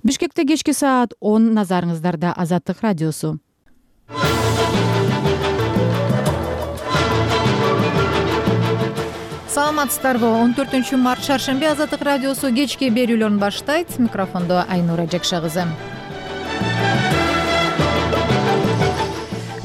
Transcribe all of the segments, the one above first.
Бишкекте кечки саат 10 назарыңыздарда Азаттык радиосу. Саламатсыздарбы? 14-март шаршемби Азаттык радиосу кечки берүүлөрүн баштайт. Микрофондо Айнура Жекше кызы.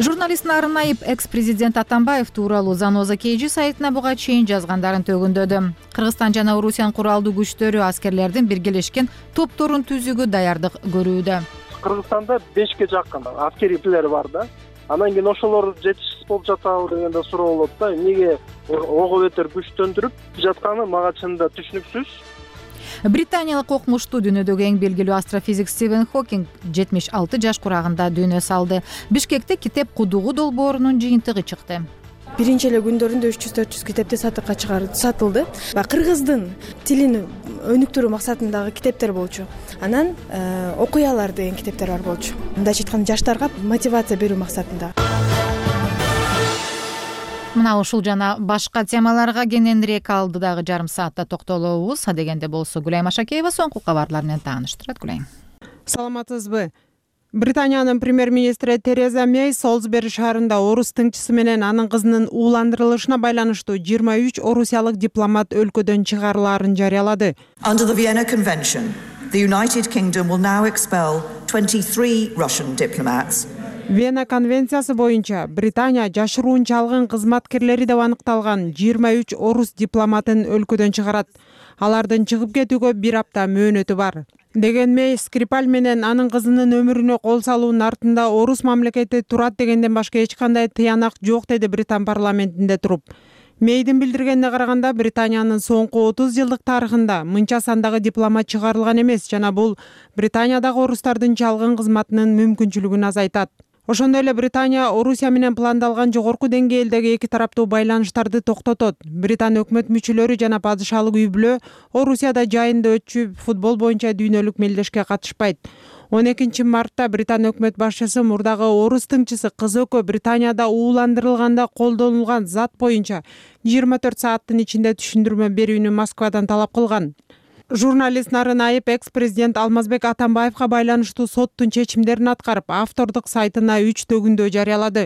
Журналист Нарын Айып экс-президент Атамбаев тууралуу Заноза KG сайтына буга чейин жазгандарын төгүндөдү. Кыргызстан жана Орусиянын куралдуу күчтөрү аскерлердин биргелешкен топторун түзүүгө даярдык көрүүдө. Кыргызстанда 5ке жакын аскерилер бар да. Анан кийин ошолор жетишсиз болуп жатабы дегенде суроо болот да. Эмнеге ого бетер күчтөндүрүп жатканы мага чынында түшүнүксүз. Британиялык окумуштуу дүйнөдөгү эң белгилүү астрофизик Стивен Хокинг 76 жаш курагында дүйнө салды. Бишкекте китеп кудугу долбоорунун жыйынтыгы чыкты. Биринчи эле күндөрүндө 300-400 китепти сатыкка сатылды. Кыргыздын тилин өнүктүрүү максатындагы китептер болчу. Анан окуялар деген китептер бар болчу. Мындайча айтканда жаштарга мотивация берүү максатында. Мына ушул жана башка темаларга кененирээк алдыдагы жарым саатта токтолобуз. Дегенде болсо Гүлайым Ашакеева соңку кабарлар менен тааныштырат. Гүлайым. Саламатсызбы? Британиянын премьер-министри Тереза Мэй Солсбери шаарында орус тыңчысы менен анын кызынын ууландырылышына байланыштуу 23 орусиялык дипломат өлкөдөн чыгарылаарын жарыялады. Under the Vienna Convention, the United Kingdom will now expel 23 Russian diplomats. Вена конвенциясы боюнча Британия жашыруунча алган кызматкерлери деп аныкталган 23 орус дипломатын өлкөдөн чыгарат. Алардын чыгып кетүүгө 1 апта мөөнөтү бар. Деген Мэй Скрипаль менен анын кызынын өмүрүнө кол салуунун артында орус мамлекети турат дегенден башка эч кандай тыянак жок, деди Британ парламентинде туруп. Мэйдин билдиргенине караганда Британиянын соңку 30 жылдык тарыхында мынча сандагы дипломат чыгарылган эмес жана бул Британиядагы орустардын чалгын кызматынын мүмкүнчүлүгүн азайтат. Ошондой эле Британия Орусия менен пландалган жогорку деңгээлдеги эки тараптуу байланыштарды токтотот. Британ өкмөт мүчөлөрү жана падышалык үй-бүлө Орусияда жайында өтчү футбол боюнча дүйнөлүк мелдешке катышпайт. 12 мартта Британ өкмөт башчысы мурдагы орус тыңчысы кыз экөө Британияда ууландырылганда колдонулган зат боюнча 24 сааттын ичинде түшүндүрмө берүүнү Москвадан талап кылган. Журналист Нарын Айып экс-президент Алмазбек Атамбаевга байланыштуу соттун чечимдерин аткарып, автордук сайтына 3 төгүндө жарыялады.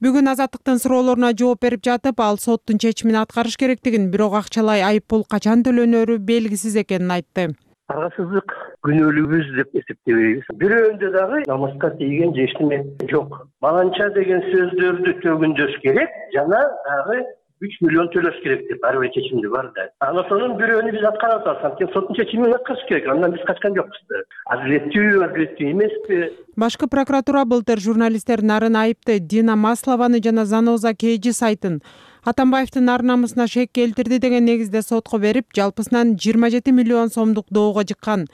Бүгүн Азаттыктын суроолоруна жооп берип жатып, ал соттун чечимин аткарыш керектигин, бирок акчалай айыппул качан төлөнөрү белгисиз экенин айтты. Аргасыздык күнөөлүүбүз деп эсептебейбиз. Бирөөндө дагы намыска тийген эчтеме жок. Баланча деген сөздөрдү төгүндөш керек жана дагы 3 миллион төлөш керек деп ар бир чечимде бар да. Анасынын бирөөнү биз аткара атабыз. Анткени соттун чечимин аткарыш керек. Андан биз качкан жокпуз. Адилеттүү эмеспи? Башкы прокуратура былтыр журналисттер Нарын Айыпты, Дина Маслованы жана Заноза KG сайтын Атамбаевдин ар намысына шек келтирди деген негизде сотко берип, жалпысынан 27 миллион сомдук доого жыккан.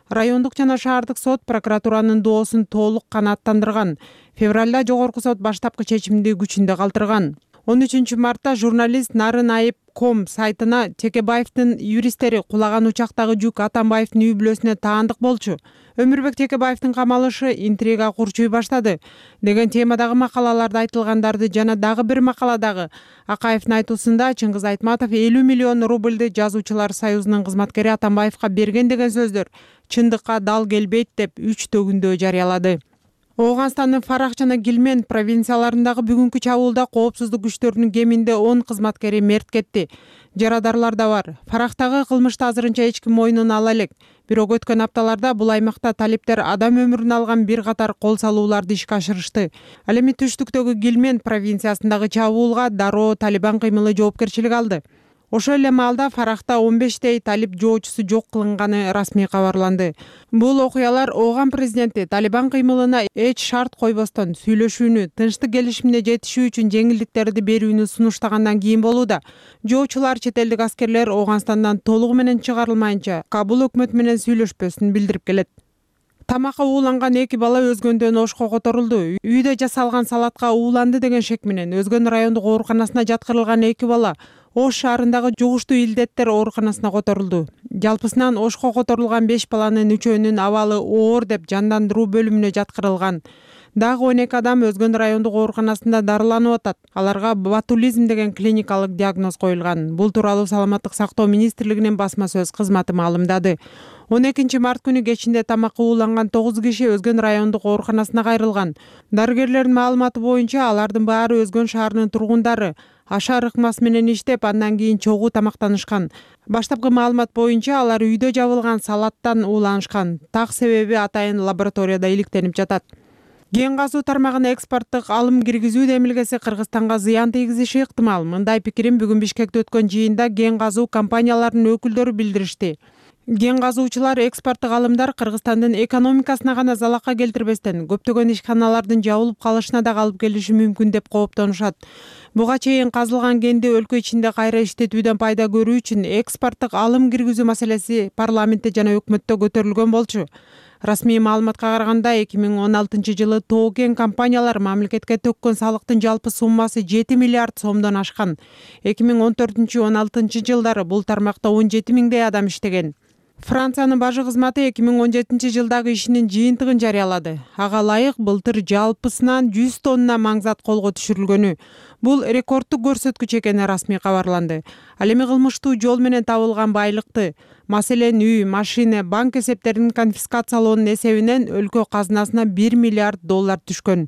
Райондук жана шаардык сот прокуратуранын доосун толук канааттандырган. Февралда жогорку сот баштапкы чечимди күчүндө калтырган. 13 мартта журналист Нарын Айып.com сайтына Текебаевдин юристтери кулаган учактагы жүк Атамбаевдин үй-бүлөсүнө таандык болчу. Өмүрбек Текебаевдин камалышы интрига курчуй баштады деген темадагы макалаларда айтылгандарды жана дагы бир макаладагы Акаевдин айтуусунда Чыңгыз Айтматов 50 миллион рубльды жазуучулар союзунун кызматкери Атамбаевга берген деген сөздөр чындыкка дал келбейт деп 3 төгүндө жарыялады. Ооганстандын Фарах жана Гилмен провинцияларындагы бүгүнкү чабуулда коопсуздук күчтөрүнүн кеминде 10 кызматкери мерт кетти. Жарадарлар да бар. Фарахтагы кылмышты азырынча эч ким мойнуна ала элек. Бирок өткөн апталарда бул аймакта талиптер адам өмүрүн алган бир катар кол салууларды ишке ашырышты. Ал эми түштүктөгү Гилмен провинциясындагы чабуулга дароо Талибан кыймылы жоопкерчилик алды. Ошол эле маалда Фарахта 15 талип жоочусу жок кылынганы расмий кабарланды. Бул окуялар Ооган президенти Талибан кыймылына эч шарт койбостон сүйлөшүүнү, тынчтык келишимине жетишүү үчүн жеңилдиктерди берүүнү сунуштагандан кийин болууда. Жоочулар чет элдик аскерлер Ооганстандан толугу менен чыгарылмайынча Кабул өкмөтү менен сүйлөшпөсүн билдирип келет. Тамакка ууланган 2 бала өзгөндөн ошко которулду. Үйдө жасалган салатка ууланды деген шек менен Өзгөн райондук ооруканасына жаткырылган 2 бала Ош шаарындагы жугуштуу илдеттер ооруканасына которулду. Жалпысынан Ошко которулган 5 баланын 3-өөнүн абалы оор деп жандандыруу бөлүмүнө жаткырылган. Дагы 12 адам Өзгөн райондук ооруканасында дарыланып атат. Аларга ботулизм деген клиникалык диагноз коюлган. Бул тууралуу Саламаттык сактоо министрлигинин басма сөз кызматы маалымдады. 12 март күнү кечинде тамакка ууланган 9 киши Өзгөн райондук ооруканасына кайрылган. Дарыгерлердин маалыматы боюнча алардын баары Өзгөн шаарынын тургундары. Ашар ыкмасы менен иштеп, андан кийин чогуу тамактанышкан. Баштапкы маалымат боюнча алар үйдө жабылган салаттан ууланышкан. Так себеби атайын лабораторияда иликтенип жатат. Кен казуу тармагына экспорттук алым киргизүү демилгеси Кыргызстанга зыян тийгизиши ыктымал. Мындай пикирин бүгүн Бишкекте өткөн жыйында кен казуу компанияларынын өкүлдөрү билдиришти. Кен казуучулар экспорттук алымдар Кыргызстандын экономикасына гана залакка келтирбестен, көптөгөн ишканалардын жабылып калышына да алып келиши мүмкүн деп кооптонушат. Буга чейин казылган кенди өлкө ичинде кайра иштетүүдөн пайда көрүү үчүн экспорттук алым киргизүү маселеси парламентте жана өкмөттө көтөрүлгөн болчу. Расмий маалыматка караганда 2016-жылы тоо кен компаниялар мамлекетке төккөн салыктын жалпы суммасы 7 миллиард сомдон ашкан. 2014-16 жылдары бул тармакта 17 миңдей адам иштеген. Франциянын бажы кызматы 2017 жылдагы ишинин жыйынтыгын жарыялады. Ага ылайык былтыр жалпысынан 100 тонна маңзат колго түшүрүлгөнү. Бул рекордтук көрсөткүч экени расмий кабарланды. Ал эми кылмыштуу жол менен табылган байлыкты, маселен үй, машина, банк эсептерин конфискациялоонун эсебинен өлкө казынасына 1 миллиард доллар түшкөн.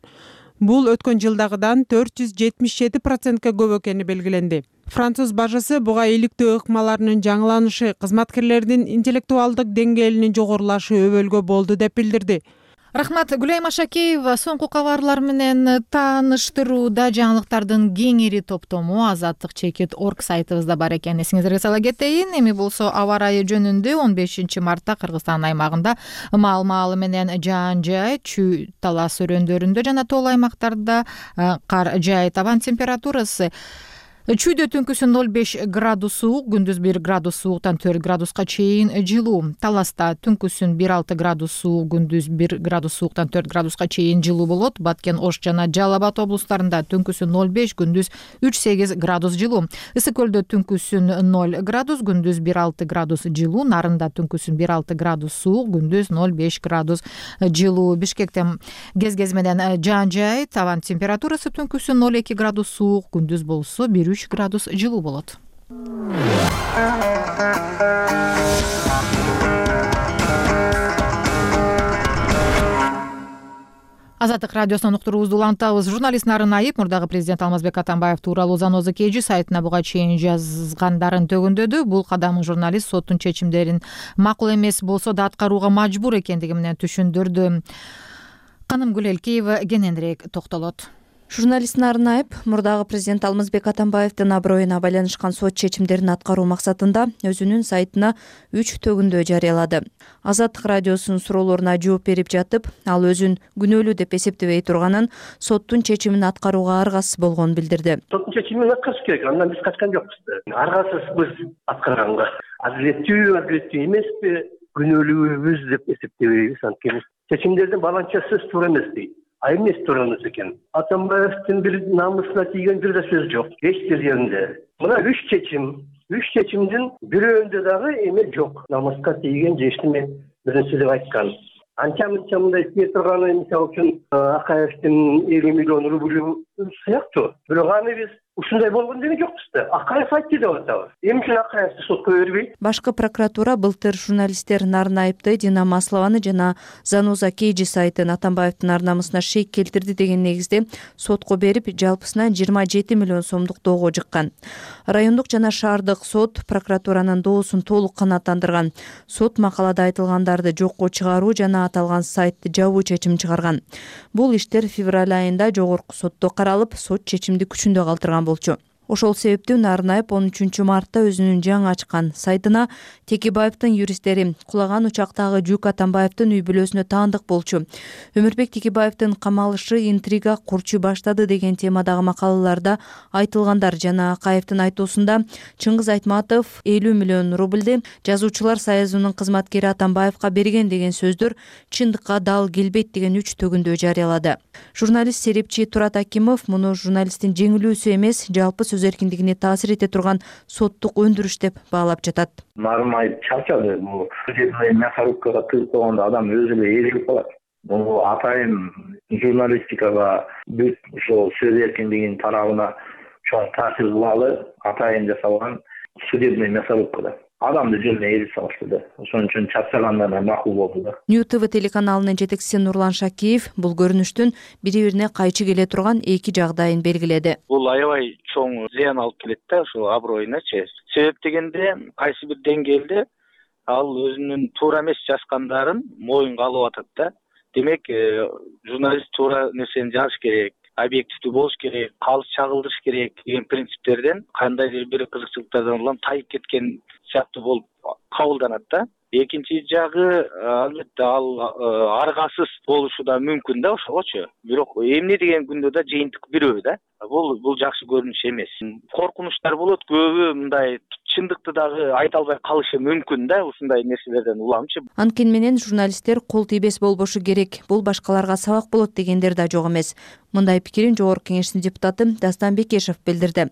Бул өткөн жылдагыдан 477%ке көп экени белгиленди. Француз бажысы буга иликтөө ыкмаларынын жаңыланышы, кызматкерлердин интеллектуалдык деңгээлинин жогорулашы өбөлгө болду деп билдирди. Рахмат, Гүлайым Ашакеева соңку кабарлар менен тааныштырууда жаңылыктардын кеңири топтому Азаттык Чекит.org сайтыбызда бар экен. Эсиңиздерге сала кетейин, эми болсо аба ырайы жөнүндө 15 мартта Кыргызстан аймагында маал-маалы менен жаан-жай, чүй талас өрөөндөрүндө жана тоол аймактарда кар жаайт. Абан температурасы чүйдө түнкүсүн 0,5 градус суук, күндүз 1 градус сууктан 4 градуска чейин жылуу. Таласта түнкүсүн 1,6 градус суук, күндүз 1 градус сууктан 4 градуска чейин жылуу болот. Баткен, Ош жана Жалал Абад облустарында түнкүсүн 0,5, күндүз 3,8 градус жылуу. Ысык көлдө түнкүсүн 0 градус, күндүз 1,6 градус жылуу. Нарында түнкүсүн 1,6 градус суук, күндүз 0,5 градус жылуу. Бишкекте кез менен жаан-жай, табан температурасы түнкүсүн 0,2 градус суук, күндүз болсо 1,3 градус жылуу болот. Азаттык радиосунан уктуруубузду улантабыз. Журналист Нарын Айып мурдагы президент Алмазбек Атамбаев тууралуу Заноза KG сайтына буга чейин жазгандарын төгүндөдү. Бул кадамы журналист соттун чечимдерин макул эмес болсо да аткарууга мажбур экендиги менен түшүндүрдү. Каным Гүлелкеева кененирээк токтолот. Журналист Нарын Айып мурдагы президент Алмазбек Атамбаевдин аброюна байланышкан сот чечимдерин аткаруу максатында өзүнүн сайтына 3 төгүндө жарыялады. Азаттык радиосунун суроолоруна жооп берип жатып, ал өзүн күнөөлүү деп эсептебей турганын, соттун чечимин аткарууга аргасыз болгонун билдирди. Соттун чечимин аткарыш керек, андан биз качкан жокпуз. Аргасызбыз аткарганга. Адилеттүү эмеспи, күнөөлүүбүз деп эсептебейбиз. Анткени чечимдердин баланчасы туура эмес дейт. Эмес турганыбыз экен. Атамбаевдин бир намысына тийген бир да сөз жок. Эч бир жеринде. Мына 3 чечимдин бирөөндө дагы эме жок. Намыска тийген же эчтеме нерсе деп айткан. Анча-мынча мындай тие турганы, мисалы үчүн Акаевдин 50 миллион рубль сыяктуу. Бирок аны биз ушундай болгон деген жокпуз да. Акаев айтты деп атабыз. Эмне үчүн Акаевди сотко бербейт? Башкы прокуратура былтыр журналисттер Нарын Айыпты, Дина Маслованы жана Заноза KG сайтын Атамбаевдин ар намысына шек келтирди деген негизде сотко берип, жалпысынан 27 миллион сомдук доого жыккан. Райондук жана шаардык сот прокуратуранын доосун толук канааттандырган. Сот макалада айтылгандарды жокко чыгаруу жана аталган сайтты жабуу чечим чыгарган. Бул иштер февраль айында жогорку сотто каралып, сот чечимди күчүндө калтырган болчу. Ошол себептен Нарын Айып 13 мартта өзүнүн жаңы ачкан сайтына Текебаевдин юристтери кулаган учактагы жүк Атамбаевдин үй бүлөсүнө таандык болчу. Өмүрбек Текебаевдин камалышы интрига курчу баштады деген темадагы макалаларда айтылгандар жана Акаевдин айтуусунда Чыңгыз Айтматов 50 миллион рубльди жазуучулар союзунун кызматкери Атамбаевга берген деген сөздөр чындыкка дал келбейт деген 3 төгүндө жарыялады. Журналист Серепчи Турат Акимов муну журналисттин жеңилүүсү эмес, жалпы сөз эркиндигине таасир эте турган соттук өндүрүш деп баалап жатат. Нарын Айып чарчады. Судебный мясорубкага тыгып койгондо адам өзү эле ээрилип калат. Бул атайын журналистикага бүт ошол сөз эркиндигинин тарабына чоң таасир кылалы атайын жасалган судебный мясорубкада. адамды жөнүнө эрип салышты да. Ошон үчүн чапсагандарына макул болду да. New TV телеканалынын жетекчиси Нурлан Шакиев бул көрүнүштүн бири-бирине кайчы келе турган эки жагдайын белгиледи. Бул аябай чоң зыян алып келет да, ошол аброюначы. Себеп дегенде кайсы бир деңгээлде ал өзүнүн туура эмес жазгандарын моюнга алып атат да. Демек, журналист туура нерсени жазыш керек, объективдүү болуш керек, калыс чагылдырыш керек деген принциптерден кандайдыр бир кызыкчылыктардан улам тайып кеткен сыяктуу болуп кабылданат да. Экинчи жагы, албетте ал аргасыз болушу да мүмкүн да ошогочу. Бирок эмне деген күндө да жыйынтык бирөө да. Бул жакшы көрүнүш эмес. Коркунучтар болот, көбү мындай чындыкты дагы айта албай калышы мүмкүн да ушундай нерселерден уламчы. Анткени менен журналисттер кол тийбес болбошу керек, бул башкаларга сабак болот дегендер да жок эмес. Мындай пикирин Жогорку Кеңештин депутаты Дастан Бекешев билдирди.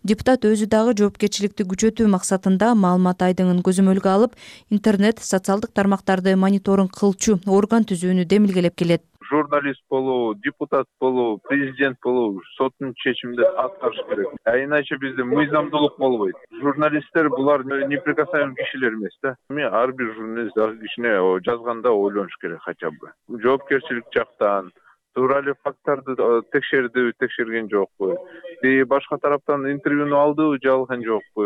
Депутат өзү дагы жоопкерчиликти күчөтүү максатында маалымат айдыңын көзөмөлгө алып, интернет, социалдык тармактарды мониторинг кылчу орган түзүүнү демилгелеп келет. Журналист болуу, депутат болуу, президент болуу соттун чечимине аткарыш керек. Иначе бизде мыйзамдуулук болбойт. Журналисттер булар неприкасаемый кишилер эмес да. Ар бир журналист кишине жазганда ойлонуш керек хотя бы. Жоопкерчилик жактан туура эле факттарды текшердиби, текшерген жокпу? Башка тараптан интервьюну алдыбы, же алган жокпу?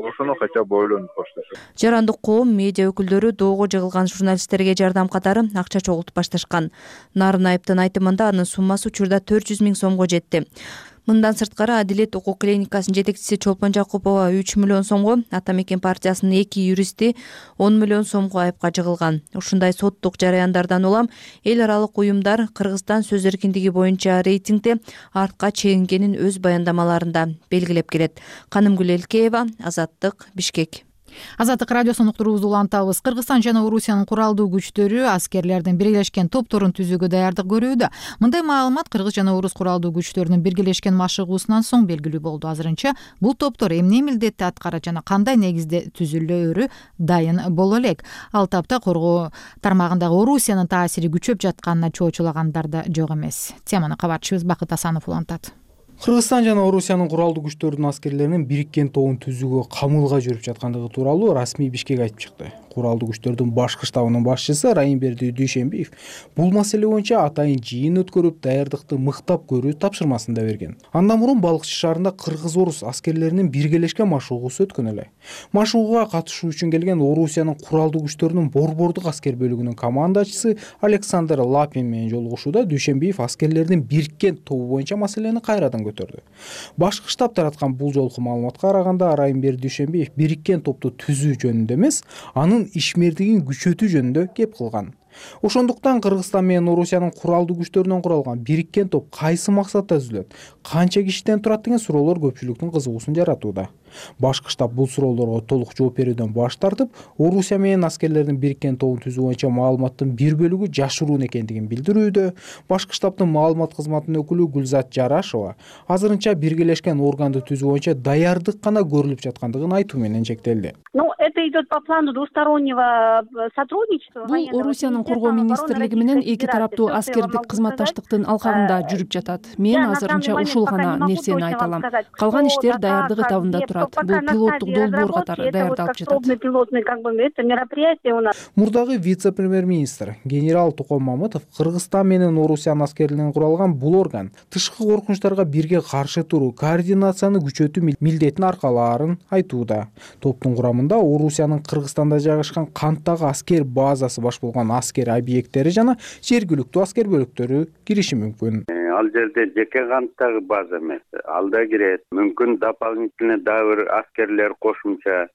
Ошону хотя бы ойлонуп башташат. Жарандык коом, медиа өкүлдөрү доого жыгылган журналисттерге жардам катары акча чогултуп башташкан. Нарын Айыптын айтымында анын суммасы учурда 400 000 сомго жетти. Мындан сырткары Адилет укук клиникасынын жетекчиси Чолпон Жакупова 3 миллион сомго, Ата Мекен партиясынын 2 юристи 10 миллион сомго айыпка жыгылган. Ушундай соттук жараяндардан улам эл аралык уюмдар Кыргызстан сөз эркиндиги боюнча рейтингде артка чегингенин өз баяндамаларында белгилеп келет. Канымгүл Элкеева, Азаттык, Бишкек. Азаттык радиосунун уктуруубузду улантабыз. Кыргызстан жана Орусиянын куралдуу күчтөрү аскерлердин биргелешкен топторун түзүүгө даярдык көрүүдө. Мындай маалымат Кыргыз жана Орус куралдуу күчтөрүнүн биргелешкен машыгуусунан соң белгилүү болду. Азырынча бул топтор эмне милдетти аткарат жана кандай негизде түзүлөөрү дайын боло элек. Ал тапта коргоо тармагындагы Орусиянын таасири күчөп жатканына чоочулагандар да жок эмес. Теманы кабарчыбыз Бакыт Асанов улантат. Кыргызстан жана Орусиянын куралдуу күчтөрүнүн аскерлеринин бириккен тобун түзүүгө камылга жүрүп жаткандыгы тууралуу расмий Бишкек айтып чыкты. Куралдуу күчтөрдүн башкы штабынын башчысы Райымберди Дүйшенбиев бул маселе боюнча атайын жыйын өткөрүп, даярдыкты мыктап көрүү тапшырмасын да берген. Андан мурун Балыкчы шаарында кыргыз-орус аскерлеринин биргелешкен машыгуусу өткөн эле. Машыгууга катышуу үчүн келген Орусиянын куралдуу күчтөрүнүн борбордук аскер бөлүгүнүн командачысы Александр Лапин менен жолугушууда Дүйшенбиев аскерлердин бириккен тобу боюнча маселени кайрадан көтөрдү. Башкы штаб тараткан бул жолку маалыматка караганда Райымберди Дүйшенбиев бириккен топту түзүү жөнүндө эмес, анын ишмердигин күчөтүү жөнүндө кеп кылган. Ошондуктан Кыргызстан менен Орусиянын куралдуу күчтөрүнөн куралган бириккен топ кайсы максатта түзүлөт, канча кишиден турат деген суроолор көпчүлүктүн кызыгуусун жаратууда. Башкы штаб бул суроолорго толук жооп берүүдөн баш тартып, Орусия менен аскерлердин бириккен тобун түзүү боюнча маалыматтын бир бөлүгү жашыруун экендигин билдирүүдө. Башкы штабтын маалымат кызматынын өкүлү Гүлзат Жарашова азырынча биргелешкен органды түзүү боюнча даярдык гана көрүлүп жаткандыгын айтуу менен чектелди. Это идет по плану двустороннего сотрудничества. Бул Орусиянын коргоо министрлиги менен эки тараптуу аскердик кызматташтыктын алкагында жүрүп жатат. Мен азырынча ушул гана нерсени айта алам. Калган иштер даярдык этабында турат. Бул пилоттук долбоор катары даярдалып жатат. Мурдагы вице-премьер-министр генерал Токон Мамытов Кыргызстан менен Орусиянын аскерлеринен куралган бул орган тышкы коркунучтарга бирге каршы туруу, координацияны күчөтүү милдетин аркалаарын айтууда. Топтун курамында Орусиянын Кыргызстанда жайгашкан канттагы аскер базасы баш болгон аскер объекттери жана жергиликтүү аскер бөлүктөрү кириши мүмкүн. Ал жерде жеке канттагы база эмес, ал да кирет. Мүмкүн дополнительный дагы бир аскерлер кошумча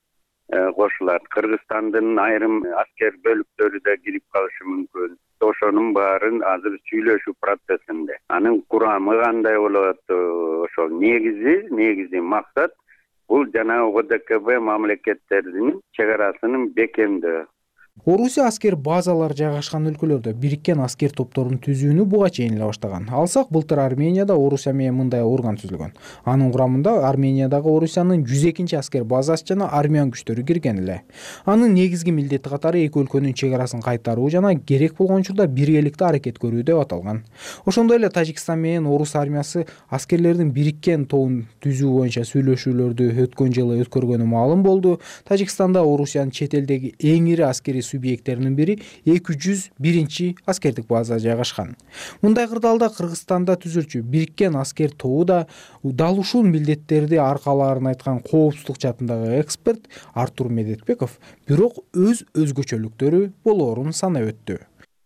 кошулат. Кыргызстандын айрым аскер бөлүктөрү да кирип калышы мүмкүн. Ошонун баарын азыр сүйлөшүү процессинде. Анын курамы кандай болот? Ошол негизи максат бул жана ОДКБ мамлекеттеринин чек арасынын бекемдөө. Орусия аскер базалары жайгашкан өлкөлөрдө бириккен аскер топторун түзүүнү буга чейин эле баштаган. Алсак, былтыр Арменияда Орусия менен мындай орган түзүлгөн. Анын курамында Армениядагы Орусиянын 102 аскер базасы жана армян күчтөрү кирген эле. Анын негизги милдети катары эки өлкөнүн чек арасын кайтаруу жана керек болгон учурда биргеликте аракет көрүү деп аталган. Ошондой эле Тажикстан менен Орус армиясы аскерлердин бириккен тобун түзүү боюнча сүйлөшүүлөрдү өткөн жылы өткөргөнү маалым болду. Тажикстанда Орусиянын чет элдеги эң ири аскерий субъекттеринин бири 201 аскердик база жайгашкан. Мындай кырдаалда Кыргызстанда түзүлчү бириккен аскер тобу да дал ушул милдеттерди аркалаарын айткан коопсуздук жаатындагы эксперт Артур Медетбеков бирок өз өзгөчөлүктөрү болоорун санап өттү.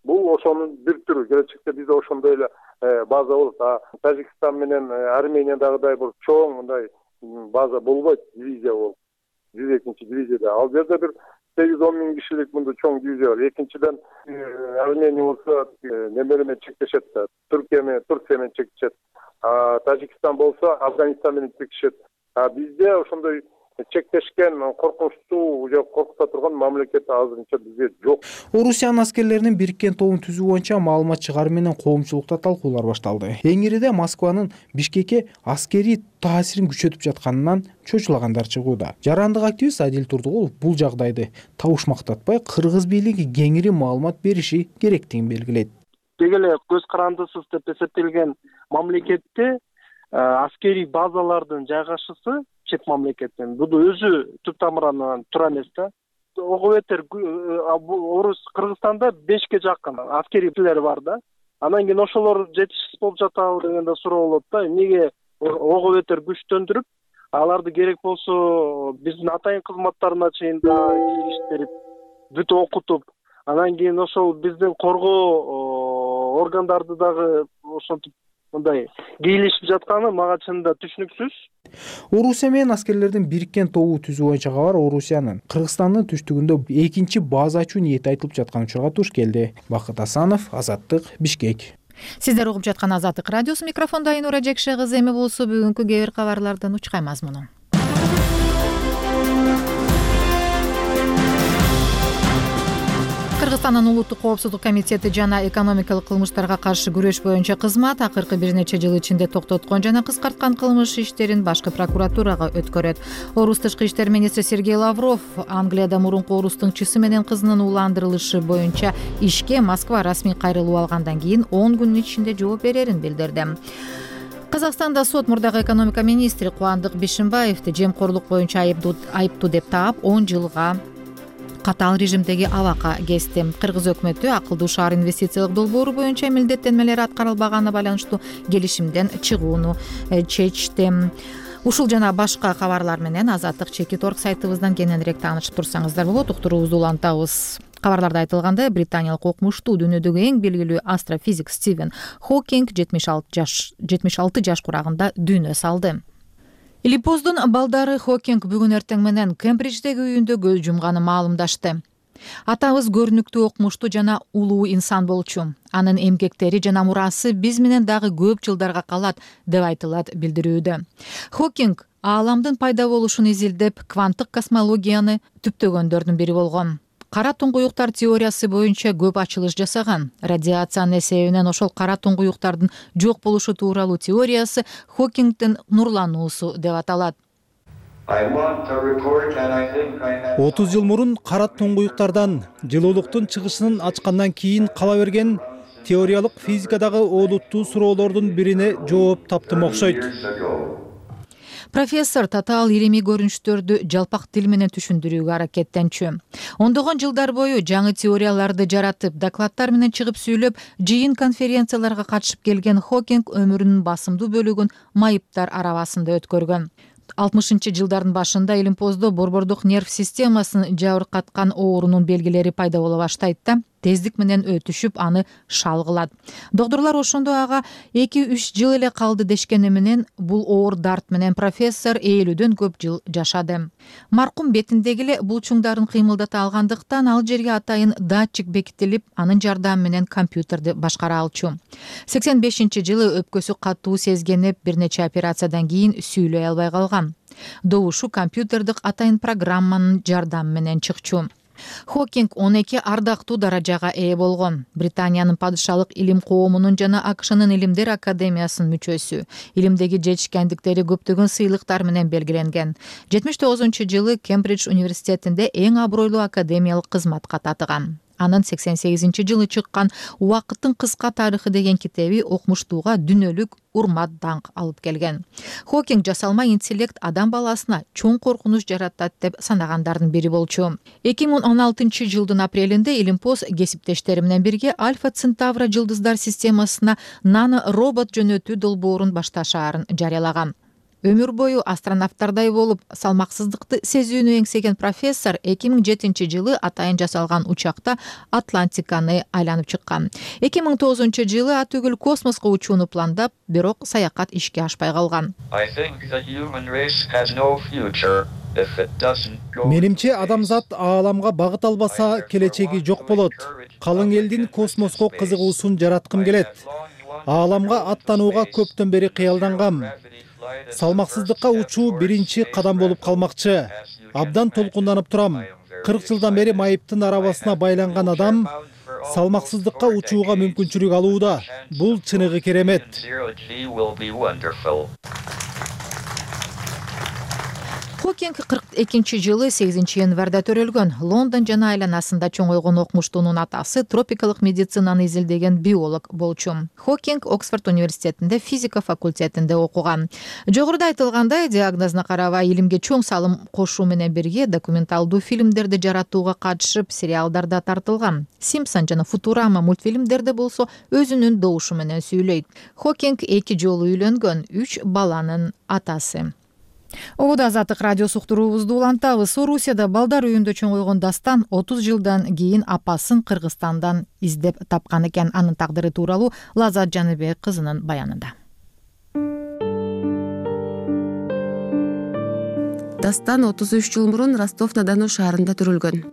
Бул ошонун бир түрү. Келечекте бизде ошондой эле база болот. Тажикстан менен Армениядагыдай бир чоң мындай база болбойт, дивизия болот. 102 дивизияда. Ал жерде бир 8-10 миң кишилик мындай чоң дивизия бар. Экинчиден Армения болсо неме менен чектешет, Турция менен чектешет. Тажикстан болсо Афганистан менен чектешет. Бизде ошондой чектешкен, коркунучтуу же коркута турган мамлекет азырынча бизде жок. Орусиянын аскерлеринин бириккен тобун түзүү боюнча маалымат чыгаруу менен коомчулукта талкуулар башталды. Эң ириде Москванын Бишкекке аскерий таасирин күчөтүп жатканынан чочулагандар чыгууда. Жарандык активист Адил Турдугулов бул жагдайды табышмактатпай, кыргыз бийлиги кеңири маалымат бериши керектигин белгилейт. Деги эле көз карандысыз деп эсептелген мамлекетте аскерий базалардын жайгашысы чет мамлекеттен бул өзү түп тамырынан туура эмес да. Ого бетер Орус Кыргызстанда 5ке жакын аскерийлер бар да. Анан кийин ошолор жетишсиз болуп жатабы деген да суроо болот да. Эмнеге ого бетер күчтөндүрүп, аларды керек болсо биздин атайын кызматтарына чейин да иштирип, бүт окутуп, анан кийин ошол биздин коргоо органдарды дагы ошентип мындай кийлешип жатканы мага чынында түшүнүксүз. Орусия менен аскерлердин бириккен тобу түзүү боюнча кабар Орусиянын Кыргызстандын түштүгүндө экинчи база ачуу ниети айтылып жаткан учурга туш келди. Бакыт Асанов, Азаттык, Бишкек. Сиздер угуп жаткан Азаттык радиосу, микрофондо Айнура Жекше кызы. Эми болсо бүгүнкү кээ бир кабарлардын учкай мазмуну. Кыргызстандын улуттук коопсуздук комитети жана экономикалык кылмыштарга каршы күрөш боюнча кызмат акыркы бир нече жыл ичинде токтоткон жана кыскарткан кылмыш иштерин башкы прокуратурага өткөрөт. Орус тышкы иштер министри Сергей Лавров Англияда мурунку орус тыңчысы менен кызынын ууландырылышы боюнча ишке Москва расмий кайрылуу алгандан кийин 10 күнүн ичинде жооп берерин билдирди. Казакстанда сот мурдагы экономика министри Кубандык Бишимбаевди жемкорлук боюнча айыптуу деп таап 10 жылга катаал режимдеги абакка кести. Кыргыз өкмөтү акылдуу шаар инвестициялык долбоору боюнча милдеттенмелери аткарылбаганына байланыштуу келишимден чыгууну чечти. Ушул жана башка кабарлар менен Азаттык Чекит.org сайтыбыздан кененирээк таанышып турсаңыздар болот. Уктуруубузду улантабыз. Кабарларда айтылгандай, британиялык окумуштуу дүйнөдөгү эң белгилүү астрофизик Стивен Хокинг 76 жаш курагында дүйнө салды. Илипоздун балдары Хокинг бүгүн эртең менен Кембридждеги үйүндө көз жумганы маалымдашты. Атабыз көрүнүктүү окумуштуу жана улуу инсан болчу. Анын эмгектери жана мурасы биз менен дагы көп жылдарга калат, деп айтылат билдирүүдө. Хокинг ааламдын пайда болушун изилдеп, кванттык космологияны түптөгөндөрдүн бири болгон. Кара туңгуюктар теориясы боюнча көп ачылыш жасаган. Радиациянын эсебинен ошол кара туңгуюктардын жок болушу тууралуу теориясы Хокингдин нурлануусу деп аталат. 30 жыл мурун кара туңгуюктардан жылуулуктун чыгышынын ачкандан кийин кала берген теориялык физикадагы олуттуу суроолордун бирине жооп таптым окшойт. Профессор татаал илимий көрүнүштөрдү жалпак тил менен түшүндүрүүгө аракеттенчү. Ондогон жылдар бою жаңы теорияларды жаратып, докладдар менен чыгып сүйлөп, жыйын конференцияларга катышып келген Хокинг өмүрүнүн басымдуу бөлүгүн майыптар арабасында өткөргөн. 60-жылдардын башында Илимпоздо борбордук нерв системасын жабыркаткан оорунун белгилери пайда боло баштайт да, тездик менен өтүшүп, аны шал кылат. Доктурлар ошондо ага 2-3 жыл эле калды дешкени менен бул оор дарт менен профессор 50-дөн көп жыл жашады. Маркум бетиндеги эле булчуңдарын кыймылдата алгандыктан ал жерге атайын датчик бекитилип, анын жардамы менен компьютерди башкара алчу. 85-жылы өпкөсү катуу сезгенип, бир нече операциядан кийин сүйлөй албай калган. Добушу компьютердик атайын программанын жардамы менен чыкчу. Хокинг 12 ардактуу даражага ээ болгон. Британиянын падышалык илим коомунун жана АКШнын илимдер академиясынын мүчөсү. Илимдеги жетишкендиктери көптөгөн сыйлыктар менен белгиленген. 79-жылы Кембридж университетинде эң абройлуу академиялык кызматка татыган. Анын 88-жылы чыккан «Убакыттын кыска тарыхы» деген китеби окумуштууга дүнөлүк урмат даңк алып келген. Хокинг жасалма интеллект адам баласына чоң коркунуч жаратат деп санагандардын бири болчу. 2016 жылдын апрелинде Илимпоз кесиптештери менен бирге Альфа Центавра жылдыздар системасына нано робот жөнөтүү долбоорун башташаарын жарыялаган. Өмүр бою астронавттардай болуп, салмаксыздыкты сезүүнү эңсеген профессор 2007 жылы атайын жасалган учакта Атлантиканы айланып чыккан. 2009 жылы ат үгүл космоско учууну пландап, бирок саякат ишке ашпай калган. Менимче адамзат ааламга багыт албаса, келечеги жок болот. Калың элдин космоско кызыгуусун жараткым келет. Ааламга аттанууга көптөн бери кыялдангам. Салмаксыздыкка учуу биринчи кадам болуп калмакчы. Абдан толкунданып турам. 40 жылдан бери майыптын арабасына байланган адам салмаксыздыкка учууга мүмкүнчүлүк алууда. Бул чыныгы керемет. Хокинг 42 жылы 8 январда төрөлгөн. Лондон жана айланасында чоңойгон окумуштуунун атасы тропикалык медицинаны изилдеген биолог болчу. Хокинг Оксфорд университетинде физика факультетинде окуган. Жогоруда айтылгандай, диагнозуна карабай илимге чоң салым кошуу менен бирге документалдуу фильмдерди жаратууга катышып, сериалдарда тартылган. Симпсон жана Футурама мультфильмдерде болсо өзүнүн добушу менен сүйлөйт. Хокинг 2 жолу үйлөнгөн, 3 баланын атасы. Обуда Азаттык радиосу уктуруубузду улантабыз. Орусияда балдар үйүндө чоңойгон Дастан 30 жылдан кийин апасын Кыргызстандан издеп тапкан экен. Анын тагдыры тууралуу Лазат Жаныбек кызынын баянында. Дастан 33 жыл мурун Ростов-на-Дону шаарында төрөлгөн.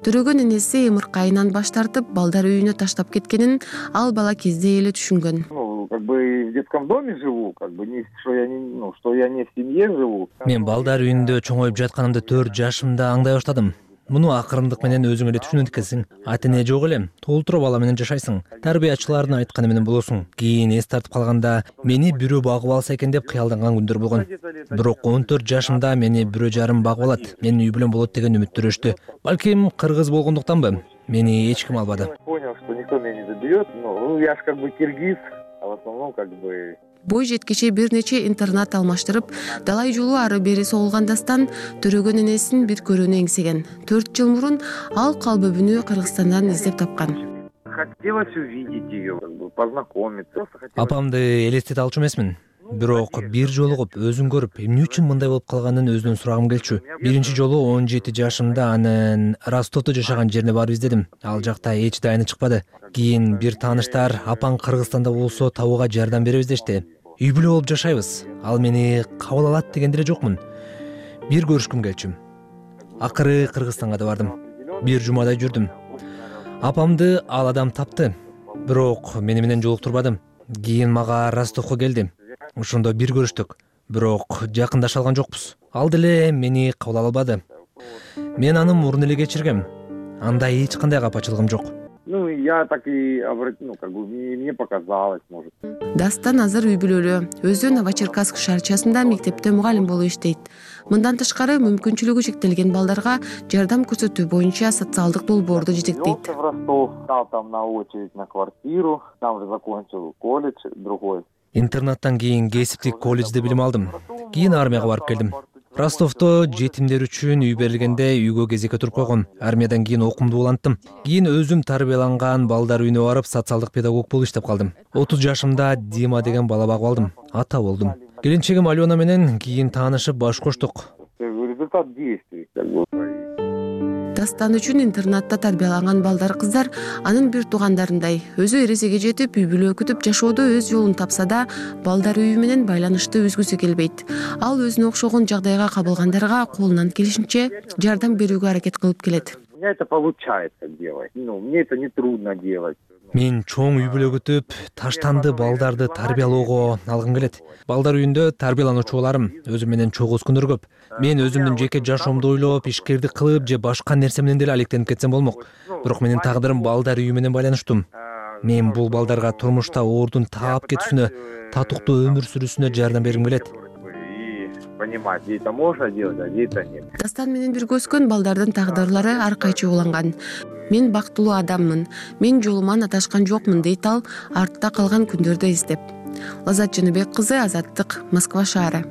Төрөгөн энеси ымыркайынан баш тартып, балдар үйүнө таштап кеткенин ал бала кезде эле түшүнгөн. В детском доме живу, что я не в семье живу. Мен балдар үйүндө чоңоюп жатканымды 4 жашымда аңдай баштадым. Муну акырындык менен өзүң эле түшүнөт экенсиң. Ата эне жок эле, толтура бала менен жашайсың. Тарбиячылардын айтканы менен болосуң. Кийин эс тартып калганда мени бирөө багып алса экен деп кыялданган күндөр болгон. Бирок 14 жашымда мени бирөө жарым багып алат, менин үй бүлөм болот деген үмүттөрүштү. Балким кыргыз болгондуктанбы? Мени эч ким албады. Понял, что никто меня не заберет. Я ж киргиз. В основном Бой жеткиче бир нече интернат алмаштырып, далай жолу ары бери соолган Дастан төрөгөн энесин бир көрүүнү эңсеген. 4 жыл мурун ал калбөбүнү Кыргызстандан издеп тапкан. Хотелось увидеть ее, познакомиться. Апамды элестете алчу эмесмин. Бирок бир жолугуп, өзүн көрүп, эмне үчүн мындай болуп калганын өзүнөн сурагым келчү. Биринчи жолу 17 жашымда анын Ростовдо жашаган жерине барып издедим. Ал жакта эч дайыны чыкпады. Кийин бир тааныштар апаң Кыргызстанда болсо табууга жардам беребиз дешти. Үй бүлө болуп жашайбыз. Ал мени кабыл алат дегенде эле жокмун. Бир көрүшкүм келчү. Акыры Кыргызстанга да бардым. Бир жумадай жүрдүм. Апамды ал адам тапты. Бирок мени менен жолуктурбады. Кийин мага Ростовго келди. Ошондо бир көрүштүк. Бирок жакындаша алган жокпуз. Ал деле мени кабыл албады. Мен аны мурун эле кечиргем. Анда эч кандай капачылыгым жок. Я так и мне показалось, может. Дастан азыр үй бүлөлүү. Өзү Новочеркасск шаарчасында мектепте мугалим болуп иштейт. Мындан тышкары мүмкүнчүлүгү чектелген балдарга жардам көрсөтүү боюнча социалдык долбоорду жетектейт. В Ростов, стал там на очередь на квартиру, там же закончил колледж другой. Интернаттан кийин кесиптик колледжде билим алдым. Кийин армияга барып келдим. Ростовдо жетимдер үчүн үй берилгенде үйгө кезекке туруп койгон. Армиядан кийин окуумду уланттым. Кийин өзүм тарбияланган балдар үйүнө барып социалдык педагог болуп иштеп калдым. 30 жашымда Дима деген бала багып алдым. Ата болдум. Келинчегим Алена менен кийин таанышып баш коштук. Результат действий. Дастан үчүн интернатта тарбияланган балдар кыздар анын бир туугандарындай. Өзү эресеге жетип, үй бүлө күтүп жашоодо өз жолун тапса да, балдар үйү менен байланышты үзгүсү келбейт. Ал өзүнө окшогон жагдайга кабылгандарга колунан келишинче жардам берүүгө аракет кылып келет. меня это получается делать. Мне это не трудно делать. Мен чоң үй бүлө күтүп, таштанды балдарды тарбиялоого алгым келет. Балдар үйүндө тарбиялануучу боларым. Өзүм менен чогуу күндөр көп. Мен өзүмдүн жеке жашоомду ойлоп, ишкердик кылып же башка нерсе менен деле алектенип кетсем болмок. Бирок менин тагдырым балдар үйү менен байланыштуу. Мен бул балдарга турмушта оордун таап кетүүсүнө, татыктуу өмүр сүрүүсүнө жардам бергим келет. Понимать, где это можно делать, а где это нет. Дастан менен бирге өскөн балдардын тагдырлары ар кайчы уланган. Мен бактылуу адаммын, мен жолуман аташкан жокмун дейт ал артта калган күндөрдү эстеп. Лаззат Жаныбек кызы, Азаттык, Москва шаары.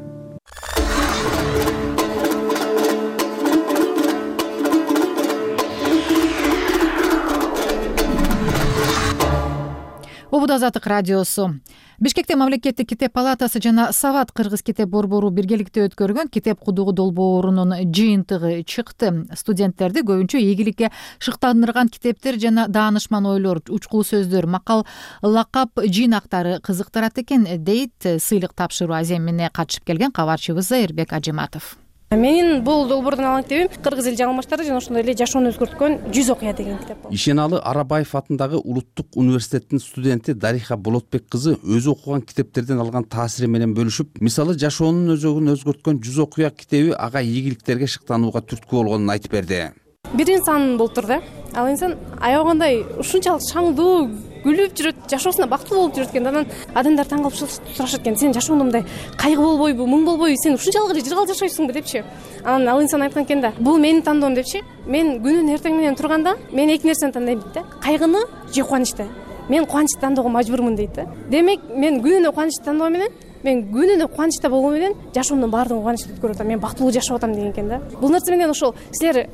Убуда Азаттык радиосу. Бишкекте мамлекеттик китеп палатасы жана Сават кыргыз китеп борбору биргеликте өткөргөн китеп кудугу долбоорунун жыйынтыгы чыкты. Студенттерди көбүнчө ийгиликке шыктандырган китептер жана даанышман ойлор, учкул сөздөр, макал, лакап жыйнактары кызыктырат экен, дейт сыйлык тапшыруу аземине катышып келген кабарчыбыз Зайырбек Ажыматов. Менин бул долбоордун алган китебим Кыргыз эл жаңылмаштары жана ошондой эле жашоону өзгөрткөн 100 окуя деген китеп болот. Ишеналы Арабаев атындагы Улуттук университеттин студенти Дариха Болотбек кызы өзү окуган китептерден алган таасири менен бөлүшүп, мисалы жашоонун өзөгүн өзгөрткөн 100 окуя китеби ага ийгиликтерге шыктанууга түрткү болгонун айтып берди. Бир инсан болуптур да. Ал инсан аябагандай ушунчалык шаңдуу күлүп жүрөт, жашоосуна бактылуу болуп жүрөт экен. Анан адамдар таң калып сурашат экен: "Сен жашооңдо мындай кайгы болбойбу, мұң болбойбу? Сен ушунчалык эле жыргал жашойсуңбу?" депчи. Анан ал инсан айткан экен да: "Бул менин тандоом" депчи. Мен күнүнүн эртең менен турганда мен эки нерсени тандайм дейт да. Кайгыны же кубанычты. Мен кубанычты тандоого мажбурмун дейт да. Демек, мен күнүнө кубанычты тандоо менен, мен күнүнө кубанычта болгон менен жашоомдун баардыгын кубанычты өткөрүп атам. Мен бактылуу жашап атам деген экен да. Бул нерсе менен ошол силер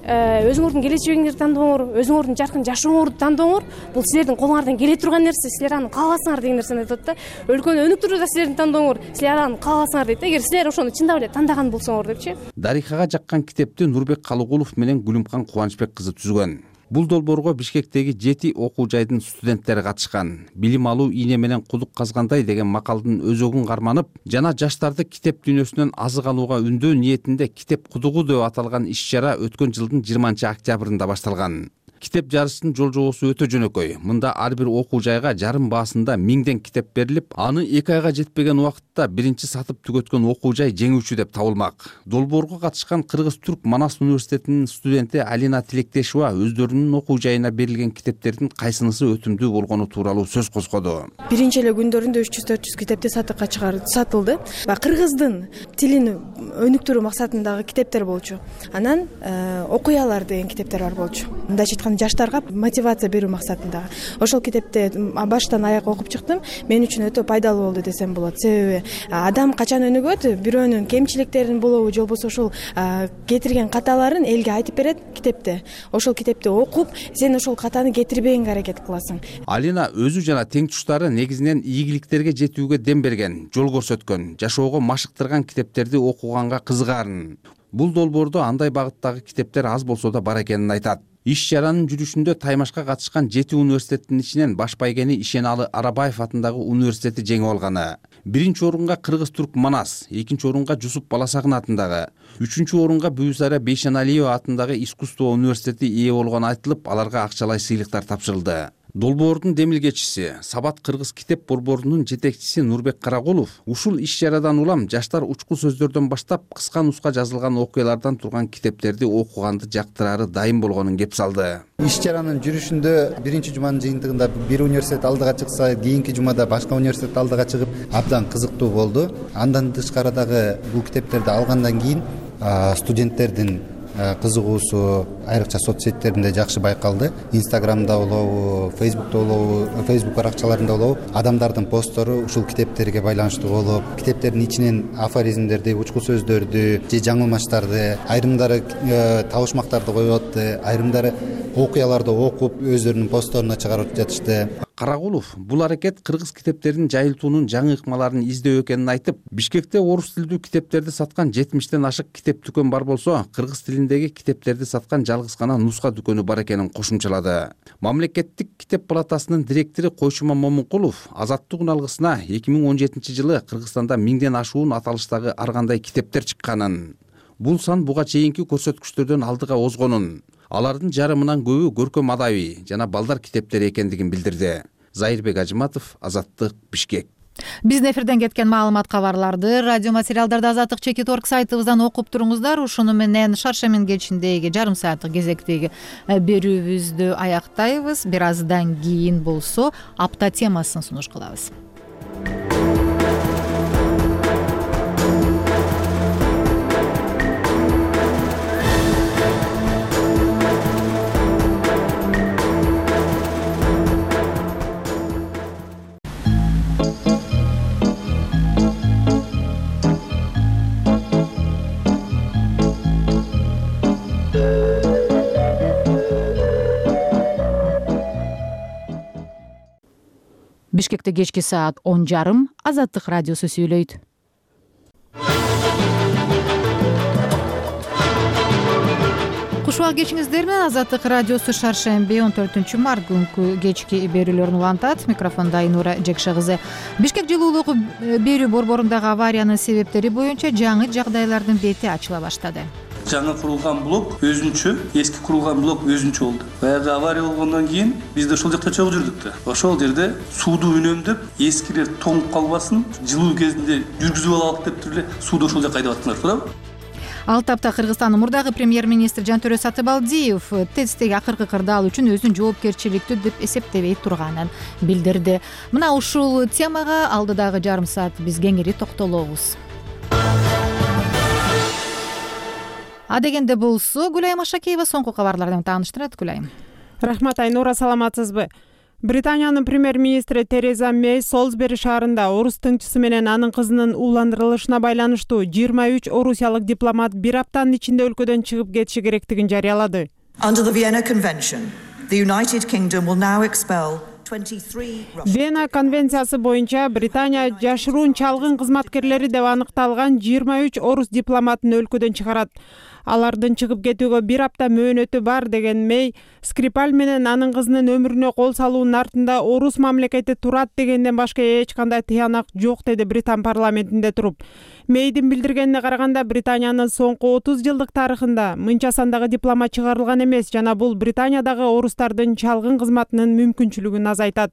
өзүңөрдүн келечегиңерди тандооңор, өзүңөрдүн жаркын жашооңорду тандооңор. Бул силердин колуңардан келе турган нерсе, силер аны кааласаңар деген нерсени айтат да. Өлкөнү өнүктүрүү да силердин тандооңор, силер аны кааласаңар дейт. Эгер силер ошону чындап эле тандаган болсоңор депчи. Дарихага жаккан китепти Нурбек Калыгулов менен Гүлүмкан Кубанычбек кызы түзгөн. Бул долбоорго Бишкектеги 7 окуу жайдын студенттери катышкан. Билим алуу ийне менен кудук казгандай деген макалдын өзөгүн карманып жана жаштарды китеп дүйнөсүнөн азык алууга үндөө ниетинде китеп кудугу деп аталган иш-чара өткөн жылдын 20-октябрында башталган. Китеп жарыштын жол-жобосу өтө жөнөкөй. Мында ар бир окуу жайга жарым баасында 1000 китеп берилип, аны 2 айга жетпеген убакытта биринчи сатып түгөткөн окуу жай жеңүүчү деп табылмак. Долбоорго катышкан Кыргыз-Түрк Манас университетинин студенти Алина Тилектешова өздөрүнүн окуу жайына берилген китептердин кайсынысы өтүмдүү болгону тууралуу сөз козгоду. Биринчи эле күндөрүндө 300-400 китепти сатыкка сатылды. Кыргыздын тилин өнүктүрүү максатындагы китептер болчу. Анан окуялар деген китептер бар болчу. Мындайча айтканда жаштарга мотивация берүү максатында. Ошол китепти баштан аяк окуп чыктым. Мен үчүн өтө пайдалуу болду десем болот. Себеби адам качан өнүгөт, бирөөнүн кемчиликтерин болобу, же болбосо ошол кетирген каталарын элге айтып берет китепте. Ошол китепти окуп, сен ошол катаны кетирбегенге аракет кыласың. Алина өзү жана тең туштары негизинен ийгиликтерге жетүүгө дем берген, жол көрсөткөн, жашоого машыктырган китептерди окуганга кызыгаарын. Бул долбоордо андай багыттагы китептер аз болсо да бар экенин айтат. Иш-чаранын жүрүшүндө Таймашка катышкан 7 университеттин ичинен баш байгени Ишеналы Арабаев атындагы университети жеңип алганы. Биринчи орунга Кыргыз-Түрк Манас, экинчи орунга Жусуп Баласагын атындагы, үчүнчү орунга Бүйүсара Бейшеналиева атындагы искусство университети ээ болгону айтылып, аларга акчалай сыйлыктар тапшырылды. Долбоордун демилгечиси, Сабат Кыргыз китеп борборунун жетекчиси Нурбек Карагулов ушул иш-чарадан улам жаштар учкул сөздөрдөн баштап кыска нуска жазылган окуялардан турган китептерди окуганды жактырары дайым болгонун кеп салды. Иш-чаранын жүрүшүндө биринчи жуманын жыйынтыгында бир университет алдыга чыкса, кийинки жумада башка университет алдыга чыгып, абдан кызыктуу болду. Андан тышкары дагы бул китептерди алгандан кийин студенттердин кызыгуусу айрыкча соц сеттеринде жакшы байкалды. Инстаграмда болобу, Фейсбукта болобу, Фейсбук баракчаларында болобу адамдардын посттору ушул китептерге байланыштуу болуп, китептердин ичинен афоризмдерди, учкул сөздөрдү же жаңылмаштарды, айрымдары табышмактарды коюп атты, айрымдары окуяларды окуп өздөрүнүн постторуна чыгарып жатышты. Карагулов бул аракет кыргыз китептерин жайылтуунун жаңы ыкмаларын издөө экенин айтып, Бишкекте орус тилдүү китептерди саткан 70тен ашык китеп дүкөн бар болсо, кыргыз тилиндеги китептерди саткан жалгыз гана нуска дүкөнү бар экенин кошумчалады. Мамлекеттик китеп палатасынын директору Койшума Момункулов Азаттык алгысына 2017-жылы Кыргызстанда 1000ден ашуун аталыштагы ар кандай китептер чыкканын, бул сан буга чейинки көрсөткүчтөрдөн алдыга озгонун, Алардын жарымынан көбү көркөм адабий жана балдар китептери экендигин билдирди. Зайырбек Ажыматов, Азаттык, Бишкек. Биздин эфирден кеткен маалымат кабарларды радио материалдарды Азаттык /org сайтыбыздан окуп туруңуздар. Ушуну менен шаршемин кечиндеги жарым сааттык кезектеги берүүбүздү аяктайбыз. Бир аздан кийин болсо апта темасын сунуш кылабыз. Бишкекте кечки саат 10:30 Азаттык радиосу сүйлөйт. Кушубак кечиңиздер менен Азаттык радиосу шаршемби 14-март күнкү кечки берүүлөрүн улантат. Микрофондо Айнура Жекше кызы. Бишкек жылуулук берүү борборундагы авариянын себептери боюнча жаңы жагдайлардын бети ачыла баштады. Жаңы курулган блок өзүнчө, эски курулган блок өзүнчө болду. Баягы авария болгондон кийин биз да ошол жакта чогуу жүрдүк да. Ошол жерде сууду үнөмдөп, эскилер тоңуп калбасын, жылуу кезинде жүргүзүп алалык деп туруп эле сууду ошол жакка айдап аттыңар, туурабы? Ал тапта Кыргызстандын мурдагы премьер-министри Жантөрө Сатыбалдиев ТЭЦтеги акыркы кырдаал үчүн өзүн жоопкерчиликтүү деп эсептебей турганын билдирди. Мына ушул темага алдыдагы жарым саат биз кеңири токтолобуз. Адегенде болсо Гүлайым Ашакеева соңку кабарлардан тааныштырат. Гүлайым. Рахмат Айнура, саламатсызбы? Британиянын премьер-министри Тереза Мей Солсбери шаарында орус тыңчысы менен анын кызынын ууландырылышына байланыштуу 23 орусиялык дипломат бир аптанын ичинде өлкөдөн чыгып кетиши керектигин жарыялады. Under the Vienna Convention, the United Kingdom will now expel Вена конвенциясы боюнча Британия жашыруун чалгын кызматкерлери деп аныкталган 23 орус дипломатын өлкөдөн чыгарат. Алардын чыгып кетүүгө бир апта мөөнөтү бар деген Мей Скрипаль менен анын кызынын өмүрүнө кол салуунун артында орус мамлекети турат дегенден башка эч кандай тыянак жок, деди Британ парламентинде туруп. Мейдин билдиргенине караганда Британиянын соңку 30 жылдык тарыхында мынча сандагы дипломат чыгарылган эмес жана бул Британиядагы орустардын чалгын кызматынын мүмкүнчүлүгүн азайтат.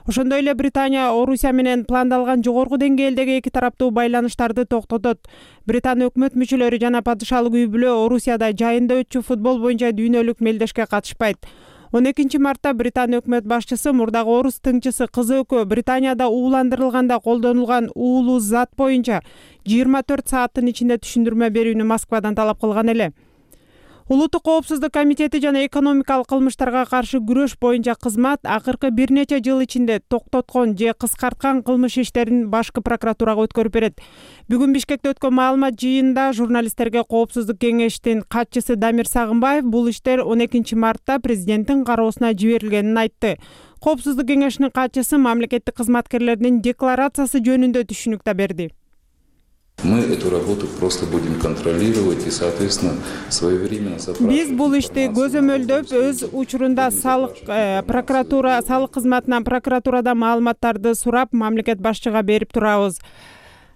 Ошондой эле Британия Орусия менен пландалган жогорку деңгээлдеги эки тараптуу байланыштарды токтотот. Британ өкмөт мүчөлөрү жана падышалык үй бүлө Орусияда жайында өтчү футбол боюнча дүйнөлүк мелдешке катышпайт. 12-мартта Британ өкмөт башчысы мурдагы орус тыңчысы кызы экөө Британияда ууландырылганда колдонулган уулуу зат боюнча 24 сааттын ичинде түшүндүрмө берүүнү Москвадан талап кылган эле. Улуттук коопсуздук комитети жана экономикалык кылмыштарга каршы күрөш боюнча кызмат акыркы бир нече жыл ичинде токтоткон же кыскарткан кылмыш иштерин башкы прокуратурага өткөрүп берет. Бүгүн Бишкекте өткөн маалымат жыйынында журналисттерге коопсуздук кеңештин катчысы Дамир Сагынбаев бул иштер 12-мартта президенттин кароосуна жиберилгенин айтты. Коопсуздук кеңешинин катчысы мамлекеттик кызматкерлердин декларациясы жөнүндө түшүнүк да берди. Мы эту работу просто будем контролировать и, соответственно, своевременно запрашивать. Биз бул ишти көзөмөлдөп, өз учурунда салык кызматынан прокуратурадан маалыматтарды сурап, мамлекет башчыга берип турабыз.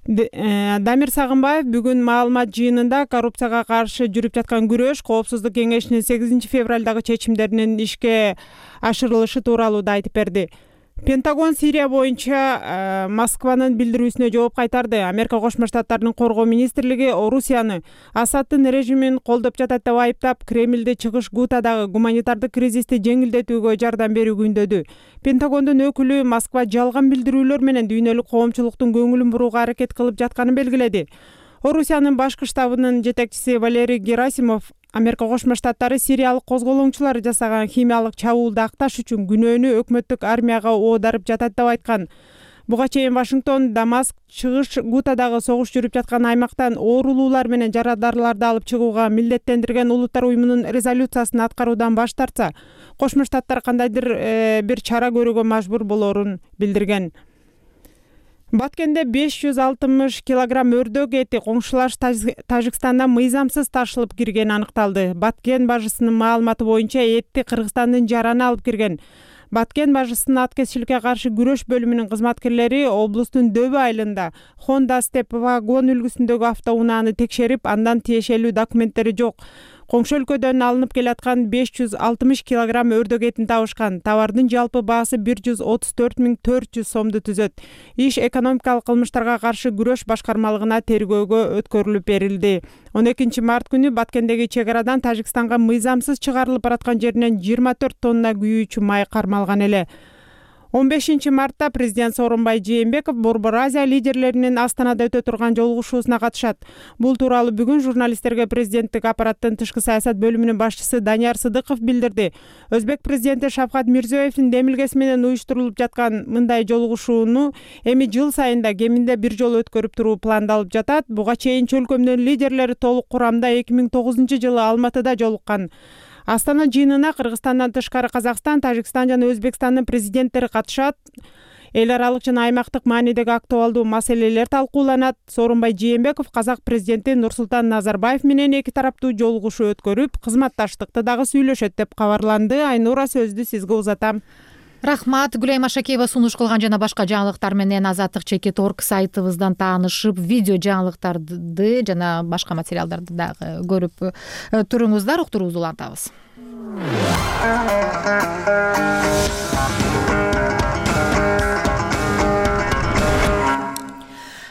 Дамир Сагынбаев бүгүн маалымат жыйынында коррупцияга каршы жүрүп жаткан күрөш коопсуздук кеңешинин 8 февралдагы чечимдеринин ишке ашырылышы тууралуу да айтып берди. Пентагон Сирия боюнча Москванын билдирүүсүнө жооп кайтарды. Америка Кошмо Штаттарынын коргоо министрлиги Орусияны Асаддын режимин колдоп жатат деп айыптап, Кремлди чыгыш Гутадагы гуманитардык кризисти жеңилдетүүгө жардам берүүгө үндөдү. Пентагондун өкүлү Москва жалган билдирүүлөр менен дүйнөлүк коомчулуктун көңүлүн бурууга аракет кылып жатканын белгиледи. Орусиянын башкы штабынын жетекчиси Валерий Герасимов Америка Кошмо Штаттары сириялык козголоңчулар жасаган химиялык чабуулду акташ үчүн күнөөнү өкмөттүк армияга оодарып жатат деп айткан. Буга чейин Вашингтон Дамаск чыгыш Гутадагы согуш жүрүп жаткан аймактан оорулуулар менен жарадарларды алып чыгууга милдеттендирген Улуттар уюмунун резолюциясын аткаруудан баш тартса, Кошмо Штаттар кандайдыр бир чара көрүүгө мажбур болорун билдирген. Баткенде 560 килограмм өрдөк эти коңшулаш Тажикстандан мыйзамсыз ташылып киргени аныкталды. Баткен бажысынын маалыматы боюнча этти Кыргызстандын жараны алып кирген. Баткен бажысынын аткезчиликке каршы күрөш бөлүмүнүн кызматкерлери облустун Дөбө айылында Honda Step вагон үлгүсүндөгү автоунааны текшерип, андан тиешелүү документтери жок. Коңшу өлкөдөн алынып келаткан 560 килограмм өрдөк этин табышкан. Товардын жалпы баасы 134.400 сомду түзөт. Иш экономикалык кылмыштарга каршы күрөш башкармалыгына тергөөгө өткөрүлүп берилди. 12 март күнү Баткендеги чек арадан Тажикстанга мыйзамсыз чыгарылып бараткан жеринен 24 тонна күйүүчү май кармалган эле. 15 мартта президент Сооронбай Жээнбеков Борбор Азия лидерлеринин Астанада өтө турган жолугушуусуна катышат. Бул тууралуу бүгүн журналисттерге президенттик аппараттын тышкы саясат бөлүмүнүн башчысы Данияр Сыдыков билдирди. Өзбек президенти Шавкат Мирзиёевдин демилгеси менен уюштурулуп жаткан мындай жолугушууну эми жыл сайында кеминде бир жолу өткөрүп туруу пландалып жатат. Буга чейин чөлкөмдөн лидерлери толук курамда 2009 жылы Алматыда жолуккан. Астана жыйынына Кыргызстандан тышкары Казакстан, Тажикстан жана Өзбекстандын президенттери катышат. Эл аралык жана аймактык маанидеги актуалдуу маселелер талкууланат. Сооронбай Жээнбеков казак президенти Нурсултан Назарбаев менен эки тараптуу жолугушуу өткөрүп, кызматташтыкты дагы сүйлөшөт деп кабарланды. Айнура, сөздү сизге узатам. Рахмат. Гүлайым Ашакеева сунуш кылган жана башка жаңылыктар менен Азаттык.org сайтыбыздан таанышып, видео жаңылыктарды жана башка материалдарды дагы көрүп туруңуздар. Уктуруубузду улантабыз.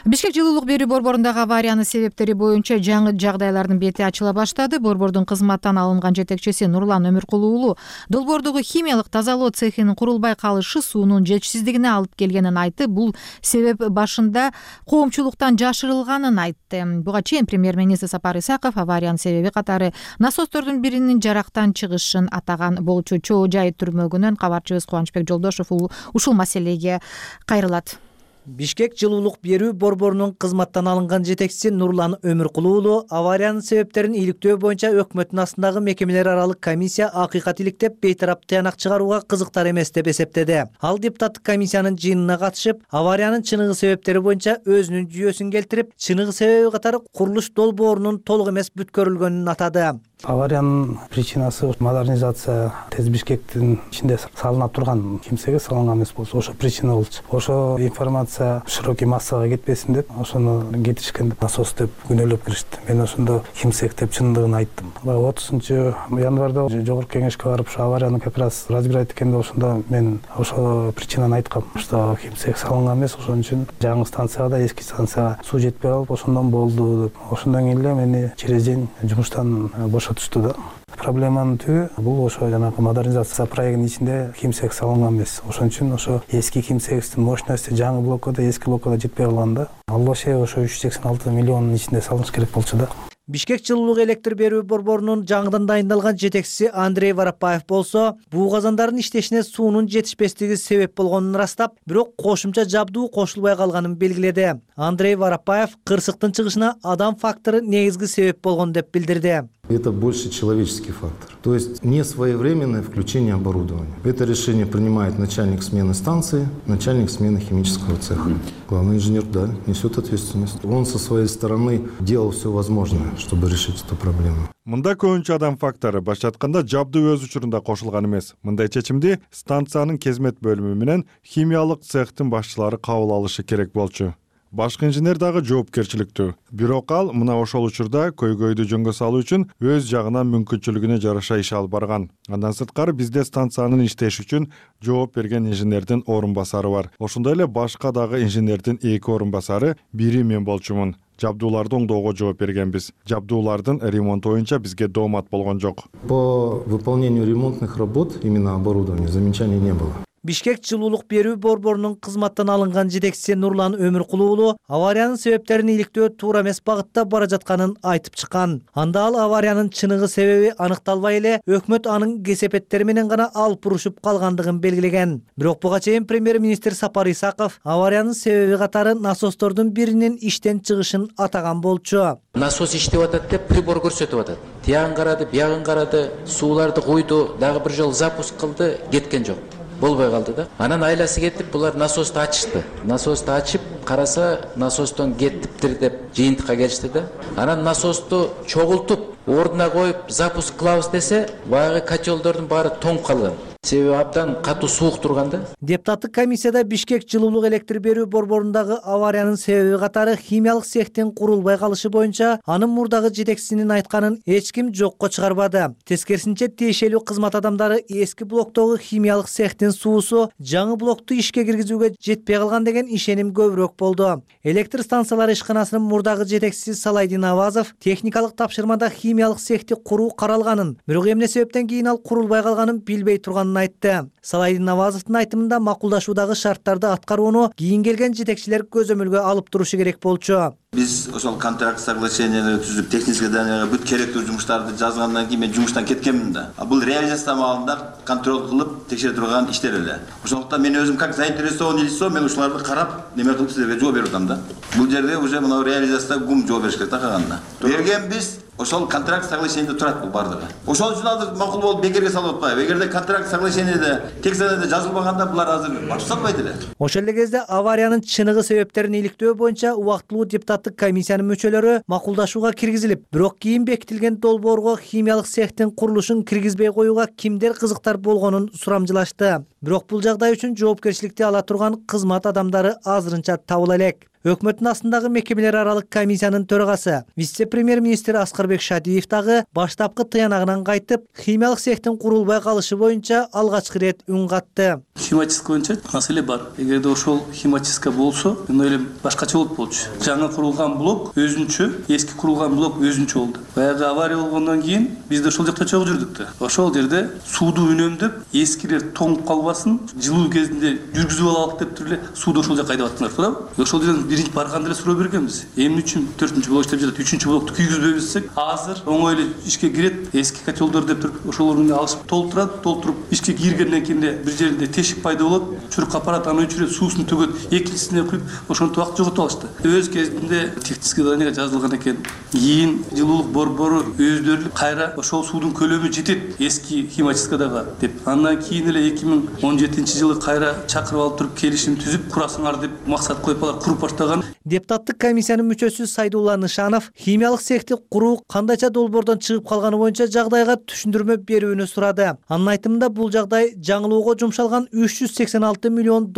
Бишкек жылуулук берүү борборундагы авариянын себептери боюнча жаңы жагдайлардын бети ачыла баштады. Борбордун кызматтан алынган жетекчиси Нурлан Өмүркулуу уулу долбоордогу химиялык тазалоо цехинин курулбай калышы суунун жетишсиздигине алып келгенин айтып, бул себеп башында коомчулуктан жашырылганын айтты. Буга чейин премьер-министр Сапар Исаков авариянын себеби катары насостордун биринин жарактан чыгышын атаган болчу. Чоо жай түрмөгүнөн кабарчыбыз Кубанычбек Жолдошов ушул маселеге кайрылат. Бишкек жылуулук берүү борборунун кызматтан алынган жетекчиси Нурлан Өмүркулуу уулу авариянын себептерин иликтөө боюнча өкмөттүн астындагы мекемелер аралык комиссия акыйкат иликтеп, бейтарап тыянак чыгарууга кызыктар эмес деп эсептеди. Ал депутаттык комиссиянын жыйынына катышып, авариянын чыныгы себептери боюнча өзүнүн жүйөсүн келтирип, чыныгы себеби катары курулуш долбоорунун толук эмес бүткөрүлгөнүн атады. Авариянын причинасы модернизация ТЭЦ Бишкектин ичинде салынып турган кимсеге салынган эмес болчу. Ошо причина болчу. Ошо информация широкий массага кетпесин деп, ошону кетиришкен насос деп күнөөлөп киришти. Мен ошондо кимсек деп чындыгын айттым. 30-январда жогорку кеңешке барып, ошо аварияны как раз разбирать эткенде ошондо мен ошо причинаны айткам. Что кимсек салынган эмес, ошон үчүн жаңы станцияда эски станцияга суу жетпей калып, ошондон болду деп. Ошондон кийин эле мени через день жумуштан бошотушту да. Проблеманын түбү бул ошо жанагы модернизация проектинин ичинде кимсек салынган эмес. Ошон үчүн ошо эски кимсектин мощности жаңы блоккада, эски блоккада жетпей калганда, ал вообще ошо 386 миллиондун ичинде салыныш керек болчу да. Бишкек жылуулук электр берүү борборунун жаңыдан дайындалган жетекчиси Андрей Воропаев болсо, буу казандардын иштешине суунун жетишпестиги себеп болгонун ырастап, бирок кошумча жабдуу кошулбай калганын белгиледи. Андрей Воропаев кырсыктын чыгышына адам фактору негизги себеп болгон деп билдирди. Это больше человеческий фактор. То есть несвоевременное включение оборудования. Это решение принимает начальник смены станции, начальник смены химического цеха. Главный инженер, да, несет ответственность. Он со своей стороны делал все возможное, чтобы решить эту проблему. Мында көбүнчө адам фактору башка айтканда жабдуу өз учурунда кошулган эмес. Мындай чечимди станциянын кезмет бөлүмү менен химиялык цехтин башчылары кабыл алышы керек болчу. Башкы инженер дагы жоопкерчиликтүү. Бирок ал мына ошол учурда көйгөйдү жөнгө салуу үчүн өз жагынан мүмкүнчүлүгүнө жараша иш алып барган. Андан сырткары бизде станциянын иштеши үчүн жооп берген инженердин орун басары бар. Ошондой эле башка дагы инженердин 2 орун басары, бири мен болчумун. Жабдууларды оңдоого жооп бергенбиз. Жабдуулардын ремонту боюнча бизге доомат болгон жок. По выполнению ремонтных работ именно оборудования замечаний не было. Бишкек жылуулук берүү борборунун кызматтан алынган жетекчиси Нурлан Өмүркулуу уулу авариянын себептерин иликтөө туура эмес багытта бара жатканын айтып чыккан. Анда ал авариянын чыныгы себеби аныкталбай эле өкмөт анын кесепеттери менен гана алып урушуп калгандыгын белгилеген. Бирок буга чейин премьер-министр Сапар Исаков авариянын себеби катары насостордун биринин иштен чыгышын атаган болчу. Насос иштеп атат деп прибор көрсөтүп атат. Тиягын карады, биягын карады, сууларды куйду, дагы бир жолу запуск кылды, кеткен жок. Болбой калды да. Анан айласы кетип, булар насосту ачышты. Насосту ачып, караса, насостон кеттиптир деп жыйынтыкка келишти да. Анан насосту чогултуп, ордуна коюп, запуск кылабыз десе, баягы котелдордун баары тоңуп калган. себеби абдан катуу суук турган да. Депутаттык комиссияда Бишкек жылуулук электр берүү борборундагы авариянын себеби катары химиялык цехтин курулбай калышы боюнча анын мурдагы жетекчисинин айтканын эч ким жокко чыгарбады. Тескерисинче тиешелүү кызмат адамдары эски блоктогу химиялык цехтин суусу жаңы блокту ишке киргизүүгө жетпей калган деген ишеним көбүрөөк болду. Электр станциялары ишканасынын мурдагы жетекчиси Салайдин Авазов техникалык тапшырмада химиялык цехти куруу каралганын, бирок эмне себептен кийин ал курулбай калганын билбей турганын айтты. Салайдин Авазовдун айтымында макулдашуудагы шарттарды аткарууну кийин келген жетекчилер көзөмөлгө алып турушу керек болчу. Биз ошол контракт соглашениени түзүп, технический заданияга бүт керектүү жумуштарды жазгандан кийин мен жумуштан кеткенмин да. Бул реализация маалында контроль кылып текшере турган иштер эле. Ошондуктан мен өзүм как заинтересованный лицо мен ушуларды карап неме кылып силерге жооп берип атам да. Бул жерде уже мына реализацияда гум жооп бериш керек да калганда. Бергенбиз ошол контракт соглашениеде турат бул бардыгы. Ошол үчүн азыр макул болуп бекерге салып атпайбы. Эгерде контракт соглашениеде текстте жазылбаганда булар азыр башып салбайт эле. Ошол эле кезде авариянын чыныгы себептерин иликтөө боюнча убактылуу депутаттык комиссиянын мүчөлөрү макулдашууга киргизилип, бирок кийин бекитилген долбоорго химиялык цехтин курулушун киргизбей коюуга кимдер кызыктар болгонун сурамжылашты. Бирок бул жагдай үчүн жоопкерчиликти ала турган кызмат адамдары азырынча табыла элек. Өкмөттүн астындагы мекемелер аралык комиссиянын төрагасы, вице-премьер-министр Аскарбек Шадиев дагы баштапкы тыянагынан кайтып, химиялык цехтин курулбай калышы боюнча алгачкы ирет үн катты. Химический боюнча маселе бар. Эгерде ошол химический болсо, мен ойлойм башкача болуп болчу. Жаңы курулган блок өзүнчө, эски курулган блок өзүнчө болду. Баягы авария болгондон кийин биз да ошол жакта чогуу жүрдүк да. Ошол жерде сууду үнөмдөп, эскилер тоңуп калбасын, жылуу кезинде жүргүзүп алалык деп туруп эле сууду ошол жака айдап аттыңар, туурабы? Ошол жерден биринчи барганда эле суроо бергенбиз. Эмне үчүн 4-блок иштеп жатат, 3-блокту күйгүзбөйбүз? Азыр оңой эле ишке кирет, эски котелдор деп туруп ошолорду алышып толтуруп ишке киргенден кийин бир жеринде тешик пайда болот, чурк аппарат аны өчүрөт, суусун төгөт, экинчисине куюп ошонтип убакыт жоготуп алышты. Өз кезинде технический заданияга жазылган экен. Кийин жылуулук борбору өздөрү кайра ошол суудун көлөмү жетет эски химическийдагы деп. Андан кийин эле 2017-жылы кайра чакырып алып туруп келишим түзүп курасыңар деп максат коюп алар куруп баштаган. Депутаттык комиссиянын мүчөсү Сайдулла Нышанов химиялык цехти куруу кандайча долбоордон чыгып калганы боюнча жагдайга түшүндүрмө берүүнү сурады. Анын айтымында бул жагдай жаңылоого жумшалган $386 миллион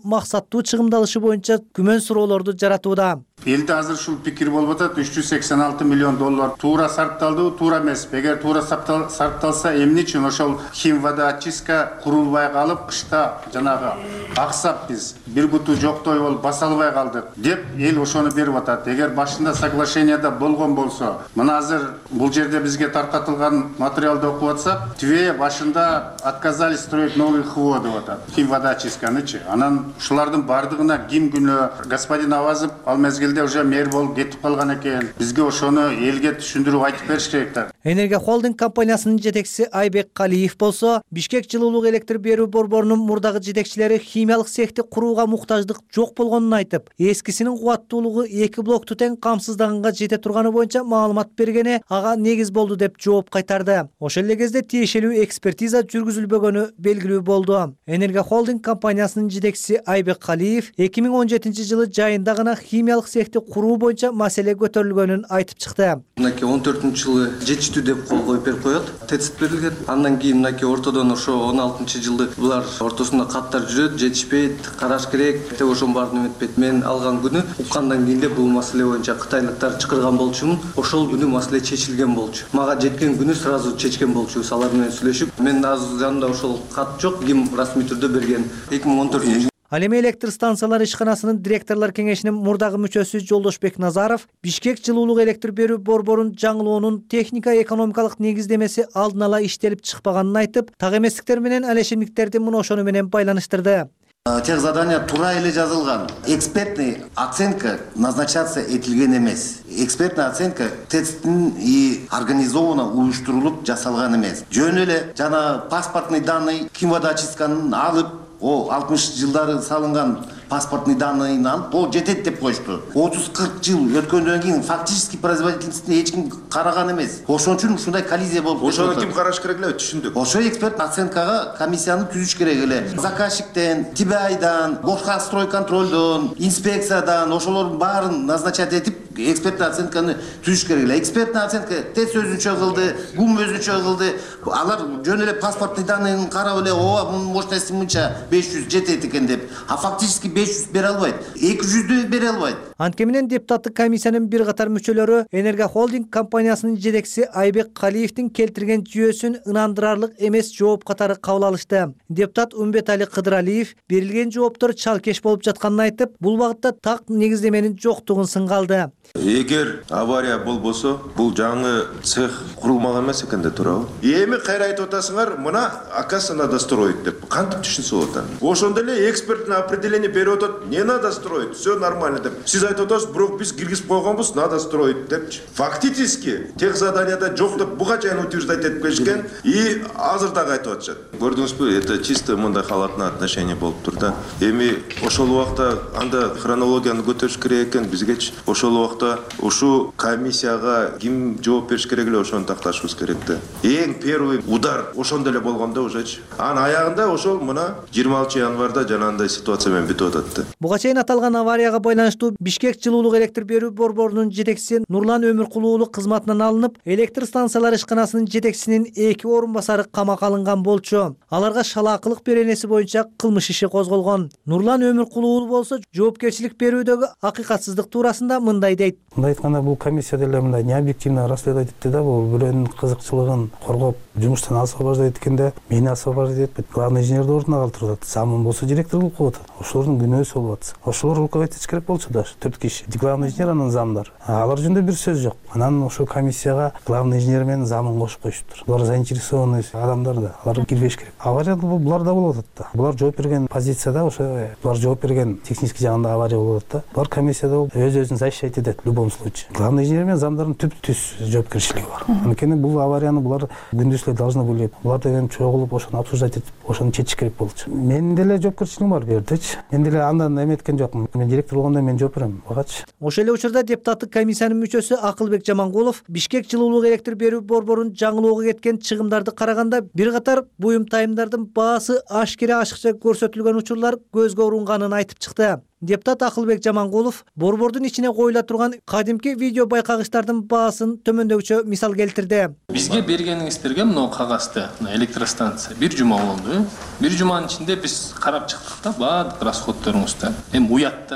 максаттуу чыгымдалышы боюнча күмөн суроолорду жаратууда. Элде азыр ушул пикир болуп атат, $386 миллион туура сарпталдыбы, туура эмеспи? Эгер туура сарпталса, эмне үчүн ошол химводоочистка курулбай калып, кышта жанагы аксап биз бир буту жоктой болуп баса албай калдык деп эл ошону берип атат. Эгер башында соглашениеда болгон болсо, мына азыр бул жерде бизге таркатылган материалды окуп атсак, Тве башында отказались строить новый ХВО деп атат. Химводоочистканычы. Анан ушулардын бардыгына ким күнөө? Господин Авазов ал мезгилде уже мэр болуп кетип калган экен. Бизге ошону элге түшүндүрүп айтып бериш керек да. Энергия холдинг компаниясынын жетекчиси Айбек Калиев болсо, Бишкек жылуулук электр берүү борборунун мурдагы жетекчилери химиялык цехти курууга муктаждык жок болгонун айтып, эскисинин кубаттуулугу 2 блокту тең камсыздаганга жете турганы боюнча маалымат бергени ага негиз болду деп жооп кайтарды. Ошол эле кезде тиешелүү экспертиза жүргүзүлбөгөнү белгилүү болду. Энергия холдинг компаниясынын жетекчиси Айбек Калиев 2017-жылы жайында гана химиялык цехти куруу боюнча маселе көтөрүлгөнүн айтып чыкты. Мынакей 14-жылы жетиштүү деп кол коюп берип коет, тецит берилген. Андан кийин мынакей ортодон ошо 16-жылы булар ортосунда каттар жүрөт, жетишпейт, караш керек деп ошонун баарын эметпейт. Мен алган күнү уккандан кийин бул маселе боюнча кытайлыктар чакырган болчумун. Ошол күнү маселе чечилген болчу. Мага жеткен күнү сразу чечкен болчубуз алар менен сүйлөшүп. Мен азыр жанымда ошол кат жок, ким расмий түрдө берген 2014. Ал эми электр станциялары ишканасынын директорлор кеңешинин мурдагы мүчөсү Жолдошбек Назаров Бишкек жылуулук электр берүү борборун жаңылоонун техника экономикалык негиздемеси алдын ала иштелип чыкпаганын айтып, так эместиктер менен алешемдиктерди мына ошону менен байланыштырды. Тех задания тура эле жазылган. Экспертный оценка назначаться этилген эмес. Экспертная оценка тесттин и организованно уюштурулуп жасалган эмес. Жөн эле жана паспортный данный химводоочистканын алып, о 60-жылдары салынган паспортный данныйын алып, о жетет деп коюшту. 30-40 жыл өткөндөн кийин фактически производительностьне эч ким караган эмес. Ошон үчүн ушундай коллизия болуп кетти. Ошону ким караш керек эле, түшүндүк. Ошо эксперт оценкага комиссияны түзүш керек эле. Заказчиктен, ТБАйдан, башка стройконтролдон, инспекциядан ошолордун баарын назначать этип экспертный оценканы түзүш керек эле. Экспертный оценка ТЭЦ өзүнчө кылды, ГУМ өзүнчө кылды. Алар жөн эле паспортный данныйын карап эле, ооба мунун мощности мынча 500 жетет экен деп. А фактически 500 бере албайт, 200 бере албайт. Анткени менен депутаттык комиссиянын бир катар мүчөлөрү Энерго Холдинг компаниясынын жетекчиси Айбек Калиевдин келтирген жүйөсүн ынандырарлык эмес жооп катары кабыл алышты. Депутат Умбетали Кыдыралиев берилген жооптор чалкеш болуп жатканын айтып, бул багытта так негиздеменин жоктугун сынгалды. Эгер авария болбосо, бул жаңы цех курулмаган эмес экен да туурабы? Эми кайра айтып атасыңар, мына оказывается надо строить деп. Кантип түшүнсө болот аны? Ошондо эле экспертное определение берип атат, не надо строить, все нормально деп. Сиз айтып атасыз, бирок биз киргизип койгонбуз, надо строить депчи. Фактически тех заданияда жок деп буга чейин утверждать этип келишкен и азыр дагы айтып атышат. Көрдүңүзбү, это чисто мындай халатный отношение болуп тур да. Эми ошол убакта анда хронологияны көтөрүш керек экен бизгечи. Ошол убакта ушу комиссияга ким жооп бериш керек эле ошону такташыбыз керек да. Эң первый удар ошондо эле болгондо ужечи. Анын аягында ошол мына 26 январда жанагындай ситуация менен бүтүп атат да. Буга чейин аталган аварияга байланыштуу Бишкек жылуулук электр берүү борборунун жетекчиси Нурлан Өмүркулуу кызматынан алынып, электр станциялары ишканасынын жетекчисинин 2 орун басары камакка алынган болчу. Аларга шалаакылык беренеси боюнча кылмыш иши козголгон. Нурлан Өмүркулуу болсо жоопкерчилик берүүдөгү акыйкатсыздык туурасында мындай дейт. Мындай айтканда, бул комиссия деле мындай необъективно расследовать этти да, бул бирөөнүн кызыкчылыгын коргоп, жумуштан освобождать эткенде, мени освобождать этпейт. Главный инженерди ордуна калтырып атат. Замын болсо директор кылып коюп атат. Ошолордун күнөөсү болуп атат. Ошолор руководить этиш керек болчу да, 4 киши. Главный инженер анан замдар. Алар жөнүндө бир сөз жок. Анан ошо комиссияга главный инженер менен замын кошуп коюшуптур. Булар заинтересованный адамдар да, алар кирбеш керек. Авария булар да болуп атат да. Булар жооп берген позицияда, ошо булар жооп берген технический жагында авария болуп атат да. Булар комиссияда өз-өзүн защищать этет в любом случае. Главный инженер менен замдардын түп-түз жоопкерчилиги бар. Анткени бул аварияны булар күндүз эле должны были. Булар деген чогулуп ошону обсуждать этип, ошону чечиш керек болчу. Менин деле жоопкерчилигим бар бу жердечи. Мен деле андан эметкен жокмун. Мен директор болгондо мен жооп берем. Багачы. Ошол эле учурда депутаттык комиссиянын мүчөсү Акылбек Жамангулов Бишкек жылуулук электр берүү борборунун жаңылоого кеткен чыгымдарды караганда бир катар буюм тайымдардын баасы ашыкча көрсөтүлгөн учурлар көзгө урунганын айтып чыкты. Депутат Акылбек Жамангулов борбордун ичине коюла турган кадимки видео байкагычтардын баасын төмөндөгүчө мисал келтирди. Бизге бергениңиздерге мына кагазды, электростанция бир жума болду. Бир жуманын ичинде биз карап чыктык да, баардык расходторуңузду. Эми уят.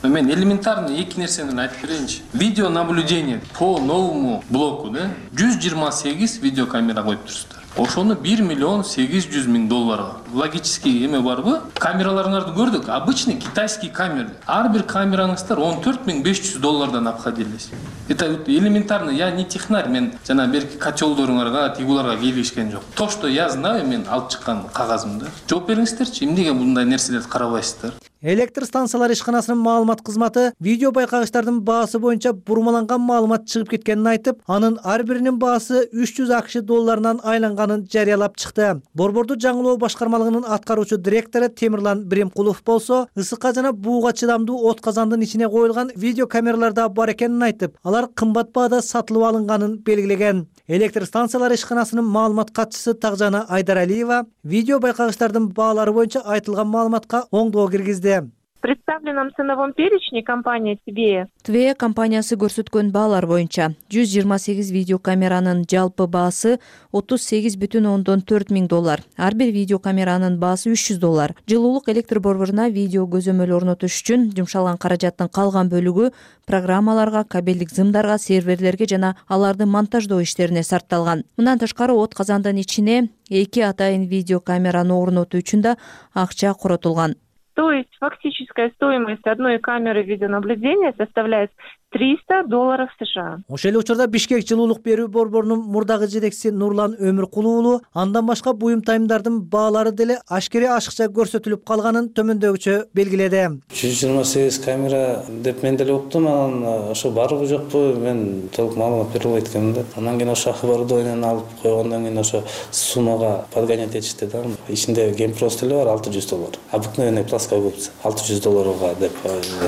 Мен элементарный эки нерсени айтып берейинчи. Видео наблюдение по новому блоку, да, 128 видеокамера коюп турсуздар. Ошону 1 миллион 800 000 долларга. Логический эме барбы? Камераларыңарды көрдүк. Обычный китайский камера. Ар бир камераңыздар 14 500 доллардан обходились. Это элементарно. Я не технарь, мен жана берки котелдоруңарга, тигуларга келишкен жок. То, что я знаю, мен алып чыккан кагазымды. Жооп бериңиздерчи, эмнеге мындай нерселерди карабайсыздар? Электр станциялары ишканасынын маалымат кызматы видео байкагычтардын баасы боюнча бурмаланган маалымат чыгып кеткенин айтып, анын ар биринин баасы 300 акш долларынан айланганын жарыялап чыкты. Борборду жаңылоо башкармалыгынын аткаруучу директору Темирлан Биримкулов болсо, ысыкка жана бууга чыдамдуу от казандын ичине коюлган видео камераларда бар экенин айтып, алар кымбат баада сатылып алынганын белгилеген. Электр станциялары ишканасынын маалымат катчысы Тагжана Айдаралиева видео байкагычтардын баалары боюнча айтылган маалыматка оңдоо киргизди. В представленном ценовом перечне компания ТВЕ компаниясы көрсөткөн баалар боюнча 128 видеокамеранын жалпы баасы 38,4 миң доллар. Ар бир видеокамеранын баасы 300 доллар. Жылуулук электр борборуна видео көзөмөл орнотуш үчүн жумшалган каражаттын калган бөлүгү программаларга, кабелдик зымдарга, серверлерге жана аларды монтаждоо иштерине сарпталган. Мындан тышкары от казандын ичине 2 атайын видеокамераны орнотуу үчүн да акча коротулган. То есть фактическая стоимость одной камеры видеонаблюдения составляет $300 США. Ошол эле учурда Бишкек жылуулук берүү борборунун мурдагы жетекчиси Нурлан Өмүркулуу андан башка буюм тайымдардын баалары деле ашыкча көрсөтүлүп калганын төмөндөгүчө белгиледи. 128 камера деп мен деле уктум, анан ошо барбы жокпу мен толук маалымат бере албайт экенмин да. Андан кийин ошо оборудованияны алып койгондон кийин ошо суммага подгонять этишти да. Ичинде геймпрос деле бар $600. Обыкновенный плоская губка $600 деп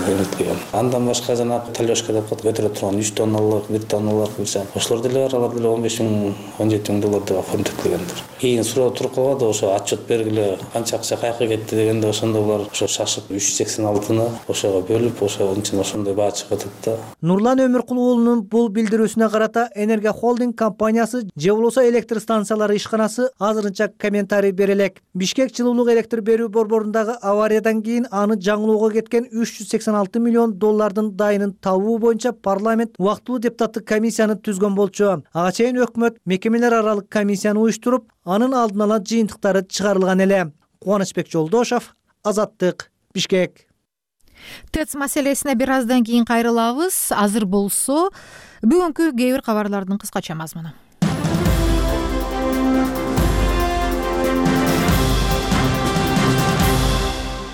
эметкем. Андан башка жана талёшка деп коет, көтөрө турган 3 тонналык, 1 тонналык кылышат. Ошолор деле бар, алар деле 15 миң, 17 миң доллар деп оформдетилгендир. Кийин суроо туруп калганда ошо отчет бергиле, канча акча каяка кетти дегенде ошондо булар ошо шашып 386-ны ошого бөлүп, ошондой баа чыгып атат да. Нурлан Өмүркулов уулунун бул билдирүүсүнө карата Энергия холдинг компаниясы же болбосо электр станциялары ишканасы азырынча комментарий бере элек. Бишкек жылуулук электр берүү борборундагы авариядан кийин аны жаңылоого кеткен 386 миллион доллардын дайынын табуу боюнча парламент убактылуу депутаттык комиссияны түзгөн болчу. Ага чейин өкмөт мекемелер аралык комиссияны уюштуруп, анын алдын ала жыйынтыктары чыгарылган эле. Кубанычбек Жолдошов, Азаттык, Бишкек. ТЭЦ маселесине бир аздан кийин кайрылабыз. Азыр болсо бүгүнкү кээ бир кабарлардын кыскача мазмуну.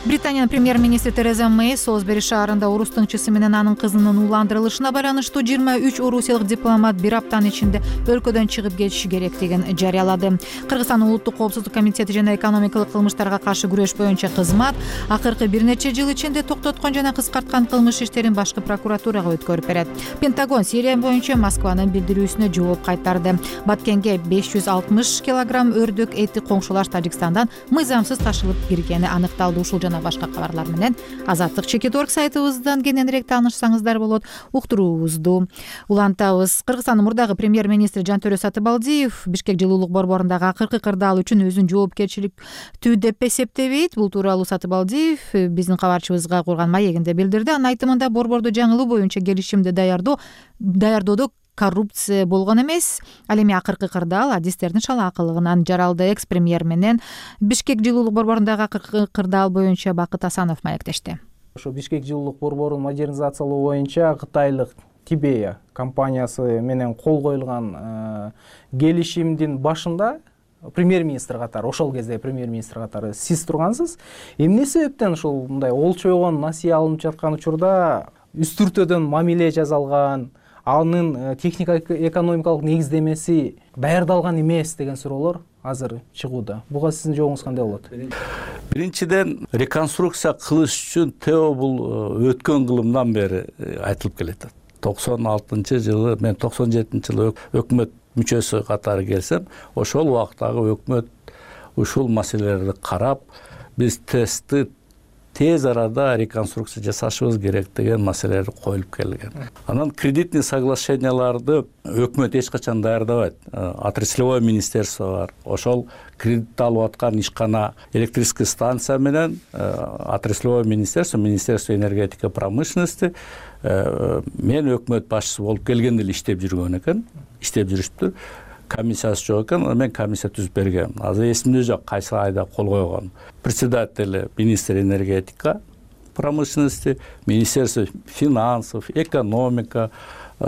Британиянын премьер-министри Тереза Мэй Солсбери шаарында орус тыңчысы менен анын кызынын ууландырылышына байланыштуу 23 орусиялык дипломат бир аптанын ичинде өлкөдөн чыгып кетиши керектигин жарыялады. Кыргызстандын улуттук коопсуздук комитети жана экономикалык кылмыштарга каршы күрөш боюнча кызмат акыркы бир нече жыл ичинде токтоткон жана кыскарткан кылмыш иштерин башкы прокуратурага өткөрүп берет. Пентагон Сирия боюнча Москванын билдирүүсүнө жооп кайтарды. Баткенге 560 килограмм өрдөк эти коңшулаш Тажикстандан мыйзамсыз ташылып киргени аныкталды. Ушул жана башка кабарлар менен Азаттык Чекит.org сайтыбыздан кененирээк таанышсаңыздар болот. Уктуруубузду улантабыз. Кыргызстандын мурдагы премьер-министри Жантөрө Сатыбалдиев Бишкек жылуулук борборундагы акыркы кырдаал үчүн өзүн жоопкерчиликтүү деп эсептебейт. Бул тууралуу Сатыбалдиев биздин кабарчыбызга курган маегинде билдирди. Анын айтымында борборду жаңылоо боюнча келишимди даярдоодо коррупция болгон эмес. Ал эми акыркы кырдаал адистердин шалаакылыгынан жаралды. Экс-премьер менен Бишкек жылуулук борборундагы акыркы кырдаал боюнча Бакыт Асанов маектешти. Ошо Бишкек жылуулук борборун модернизациялоо боюнча кытайлык Тибея компаниясы менен кол коюлган келишимдин башында премьер-министр катары, ошол кезде премьер-министр катары сиз тургансыз. Эмне себептен ушул мындай олчойгон насыя алынып жаткан учурда үстүртөдөн мамиле жасалган, анын техникалык экономикалык негиздемеси даярдалган эмес деген суроолор азыр чыгууда. Буга сиздин жообуңуз кандай болот? Биринчиден, реконструкция кылыш үчүн ТЭО бул өткөн кылымдан бери айтылып келет. 96-жылы, мен 97-жылы өкмөт мүчөсү катары келсем, ошол убактагы өкмөт ушул маселелерди карап, биз тестти тез арада реконструкция жасашыбыз керек деген маселелер коюлуп келген. Анан кредитный соглашенияларды өкмөт эч качан даярдабайт. Отраслевое министерство бар. Ошол кредит алып аткан ишкана электрический станция менен отраслевое министерство, Министерство энергетика промышленности мен өкмөт башчысы болуп келгенде эле иштеп жүргөн экен, иштеп жүрүштүр. Комиссиясы жок экен, мен комиссия түзүп бергем. Азыр эсимде жок кайсы айда кол койгон. Председатель министр энергетика промышленности, Министерство финансов, экономика,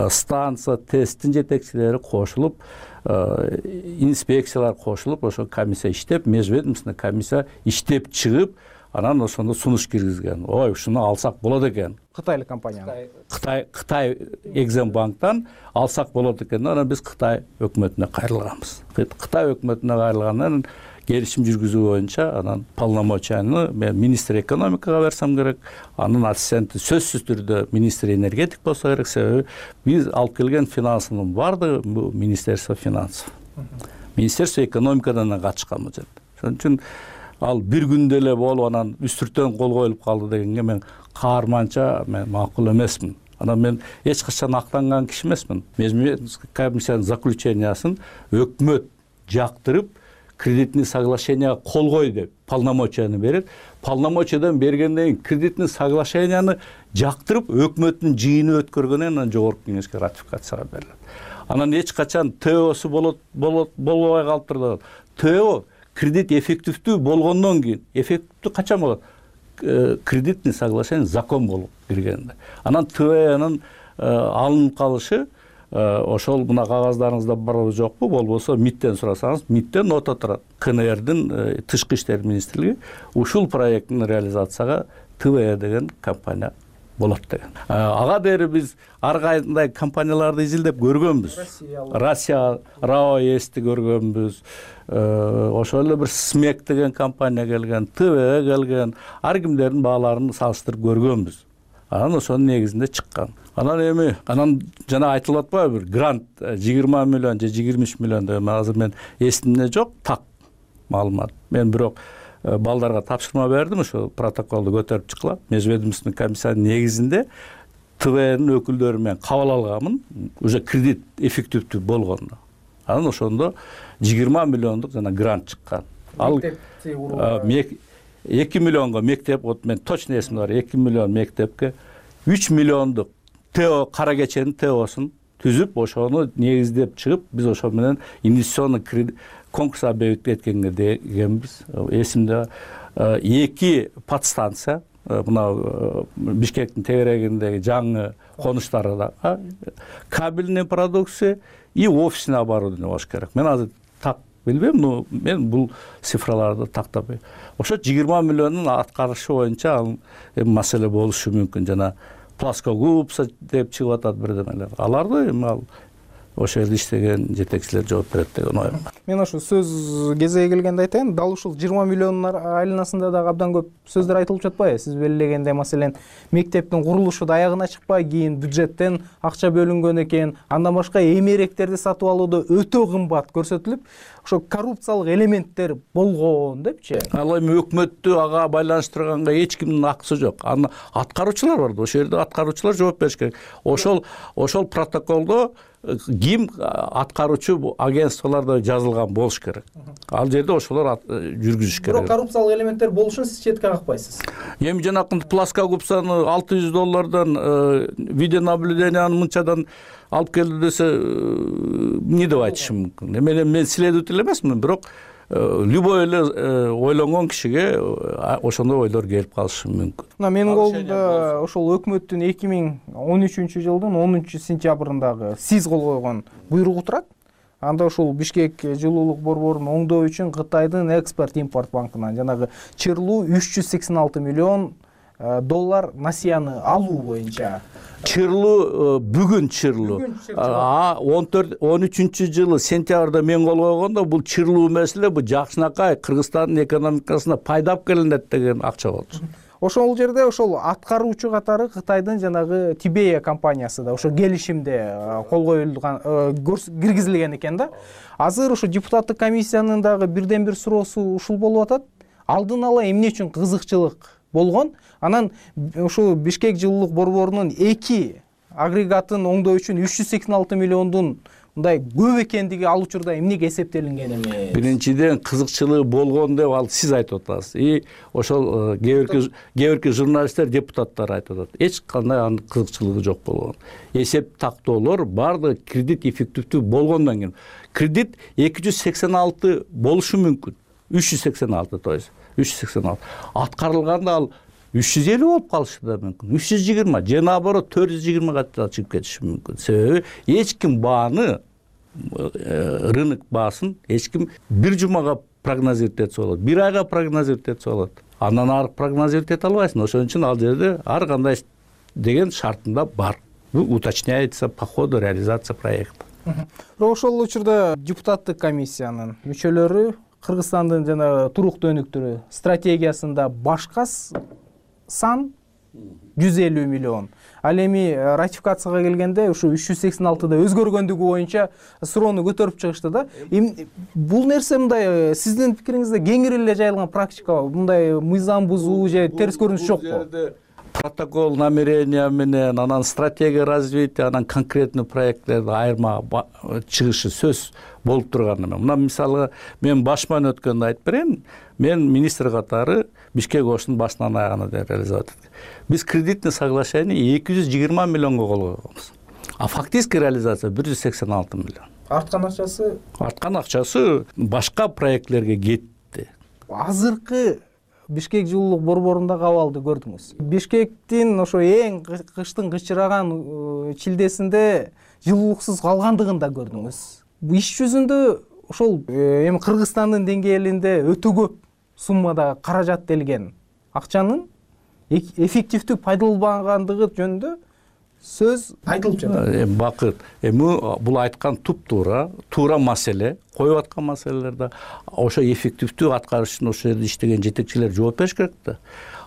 станция, тесттин жетекчилери кошулуп, инспекциялар кошулуп, ошо комиссия иштеп, межведомственный комиссия иштеп чыгып, анан ошондо сунуш киргизген. Ой, ушуну алсак болот экен. Кытайлык компания. Кытай Экзембанктан алсак болот экен. Анан биз Кытай өкмөтүнө кайрылганбыз. Кытай өкмөтүнө кайрылгандан келишим жүргүзүү боюнча анан полномочияны мен министр экономикага берсем керек, анын ассистенти сөзсүз түрдө министр энергетик болсо керек, себеби биз алып келген финансынын баардыгы бул Министерство финансов. Министерство экономикадан катышканбыз. Ошон үчүн ал бир күндө эле болуп анан үстүртөн кол коюлуп калды дегенге мен каарманча мен макул эмесмин. Анан мен эч качан актанган киши эмесмин. Межведомственный комиссиянын заключениясын өкмөт жактырып, кредитный соглашенияга кол кой деп полномочияны берет. Полномочиядан бергенден кийин кредитный соглашенияны жактырып, өкмөттүн жыйыны өткөргөндөн анан жогорку кеңешке ратификацияга берилет. Анан эч качан ТЭОсу болбой калыптыр. ТЭО кредит эффективдүү болгондон кийин, эффективдүү качан болот? Кредитный соглашение закон болуп киргенде. Анан ТЭОнун алынып калышы ошол мына кагаздарыңызда барбы жокпу, болбосо МИДтен сурасаңыз, МИДтен нота турат. КНРдин тышкы иштер министрлиги ушул проекттин реализацияга ТЭО деген компания болот деген. Ага дери биз ар кандай компанияларды изилдеп көргөнбүз. Россия, РАО-Сти көргөнбүз. Ошол эле бир СМЕК деген компания келген, ТЭО келген, ар кимдердин бааларын салыштырып көргөнбүз. анан ошонун негизинде чыккан. Анан жана айтылып атпайбы, бир грант 20 миллион же 23 миллион деп, азыр мен эсимде жок так маалымат. Мен бирок балдарга тапшырма бердим, ошо протоколду көтөрүп чыккыла. Межведомственный комиссиянын негизинде ТВН өкүлдөрү менен кабыл алганмын, уже кредит эффективдүү болгондо. Анан ошондо 20 миллиондук жана грант чыккан. Ал 2 миллионго мектеп, вот мен точно эсимде бар, 2 миллион мектепке 3 миллиондук ТО кара кеченин ТОсун түзүп, ошону негиздеп чыгып, биз ошо менен инвестиционный конкурс объявить эткенбиз. Эсимде 2 подстанция, мына Бишкектин тегерегиндеги жаңы конуштарда кабельный продукция и офисный оборудование болуш керек. Мен азыр так билбейм, но мен бул цифраларды тактап. Ошо 20 миллиондун аткарышы боюнча маселе болушу мүмкүн. Жана плоскогубца деп чыгып атат бирдемелер. Аларды эми ошол жерде иштеген жетекчилер жооп берет деген оюм. Мен ошо сөз кезеги келгенде айтайын, дал ушул 20 миллиондун айланасында дагы абдан көп сөздөр айтылып жатпайбы? Сиз белгилегендей, маселен, мектептин курулушу да аягына чыкпай, кийин бюджеттен акча бөлүнгөн экен, андан башка эмеректерди сатып алууда өтө кымбат көрсөтүлүп, ошо коррупциялык элементтер болгон депчи. Ал эми өкмөттү ага байланыштырганга эч кимдин акысы жок. Аны аткаруучулар бар да, ошол жерде аткаруучулар жооп бериш керек. Ошол протоколдо ким аткаруучу агентстволордо жазылган болуш керек. Ал жерде ошолор жүргүзүш керек. Бирок коррупциялык элементтер болушун сиз четке какпайсыз. Эми жанакынтип плоскогубцаны $600 видеонаблюдениянын мынчадан алып келди десе, эмне деп айтышым мүмкүн. Мен следователь эмесмин, бирок любой эле ойлонгон кишиге ошондой ойлор келип калышы мүмкүн. Мына менин колумда ошол өкмөттүн 2013-жылдын 10-сентябрындагы сиз кол койгон буйругу турат. Анда ушул Бишкек жылуулук борборун оңдоо үчүн Кытайдын экспорт-импорт банкынан жанагы чырлуу $386 миллион насыяны алуу боюнча. Чырлуу бүгүн чырлуу. 13-жылы сентябрда мен кол койгондо бул чырлуу маселе бул жакшынакай Кыргызстандын экономикасына пайдап келинет деген акча болчу. Ошол жерде ошол аткаруучу катары Кытайдын жанагы Тибея компаниясы да ошо келишимде кол коюлган, киргизилген экен да. Азыр ошо депутаттык комиссиянын дагы бирден бир суроосу ушул болуп атат. Алдын ала эмне үчүн кызыкчылык болгон? Анан ошо Бишкек жылуулук борборунун 2 агрегатын оңдоо үчүн 386 миллиондун мындай көп экендиги ал учурда эмнеге эсептелинген эмес? Биринчиден кызыкчылыгы болгон деп ал сиз айтып атасыз. Ошол кээ бирки журналисттер, депутаттар айтып атат. Эч кандай анын кызыкчылыгы жок болгон. Эсеп тактоолор бардыгы кредит эффективдүү болгондон кийин. Кредит 286 болушу мүмкүн. 386, то есть 386. Аткарылганда ал 350 болуп калышы да мүмкүн. 320 же наоборот 420 чыгып кетиши мүмкүн. Себеби эч ким бааны, рынок баасын эч ким бир жумага прогнозировать этсе болот, бир айга прогнозировать этсе болот. Андан ары прогнозировать эте албайсың. Ошон үчүн ал жерде ар кандай деген шартында бар. Уточняется по ходу реализации проекта. Ошол учурда депутаттык комиссиянын мүчөлөрү Кыргызстандын жана туруктуу өнүктүрүү стратегиясында башка сан 150 миллион. Ал эми ратификацияга келгенде ушу 386да өзгөргөндүгү боюнча суроону көтөрүп чыгышты да. Бул нерсе мындай сиздин пикириңизде кеңири эле жайылган практика, мындай мыйзам бузуу же терс көрүнүш жокпу? Протокол намерения менен, анан стратегия развития, анан конкретный проектлерди айырма чыгышы сөз болуп турган эме. Мына мисалы мен башман өткөндө айтып берейин. Мен министр катары Бишкек ошунун башынан аягына реализовать эттик. Биз кредитный соглашение 220 миллионго кол койгонбуз. А фактический реализация 186 миллион. Арткан акчасы? Арткан акчасы башка проектлерге кетти. Азыркы Бишкек жылуулук борборундагы абалды көрдүңүз. Бишкектин ошо эң кыштын кычыраган чилдесинде жылуулуксуз калгандыгын да көрдүңүз. Иш жүзүндө ошол эми Кыргызстандын деңгээлинде өтө көп суммада каражат делген акчанын эффективдүү пайдаланбагандыгы жөнүндө сөз айтылып жатат. Бакыт, бул айткан туура маселе, коюп аткан маселелерде ошо эффективдүү аткарыш үчүн ошол жерде иштеген жетекчилер жооп бериш керек да.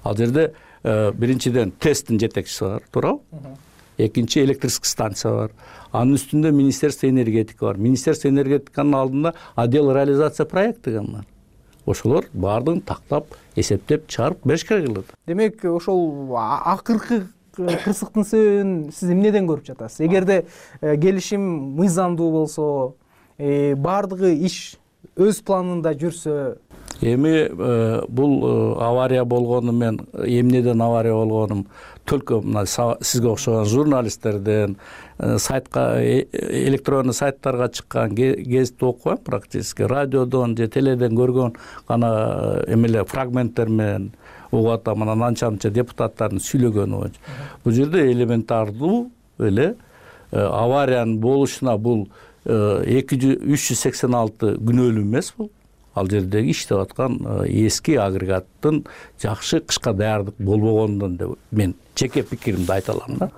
Ал жерде биринчиден тесттин жетекчиси бар, туурабы? Экинчи электрический станция бар. Анын үстүндө Министерство энергетика бар. Министерство энергетиканын алдында отдел реализация проект деген бар. Ошолор баардыгын тактап, эсептеп чыгарып бериш керек эле. Демек, ошол акыркы кырсыктын себебин сиз эмнеден көрүп жатасыз? Эгерде келишим мыйзамдуу болсо, баардыгы иш өз планында жүрсө, эми бул авария болгону, мен эмнеден авария болгонун только мына сизге окшогон журналисттерден, сайтка, электронный сайттарга чыккан гезитти окубайм, практически радиодон же теледен көргөн гана эмеле фрагменттер менен угуп атам, анан анча депутаттардын сүйлөгөнү боюнча. Бул жерде элементардуу эле авариянын болушуна бул 386 күнөөлүү эмес бул. Ал жердеги иштеп аткан эски агрегаттын жакшы кышка даярдык болбогондон деп мен жеке пикиримди айта алам да.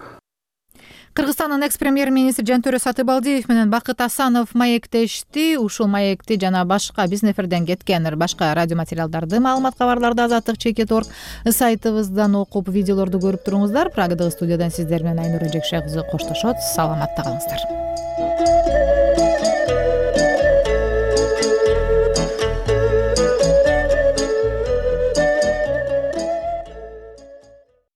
Кыргызстандын экс-премьер-министри Жантөрө Сатыбалдиев менен Бакыт Асанов маектешти. Ушул маекти жана башка биздин эфирден кеткен башка радио материалдарды, маалымат кабарларды Азаттык.org сайтыбыздан окуп, видеолорду көрүп туруңуздар. Прагадагы студиядан сиздер менен Айнура Жекше кызы коштошот. Саламатта калыңыздар.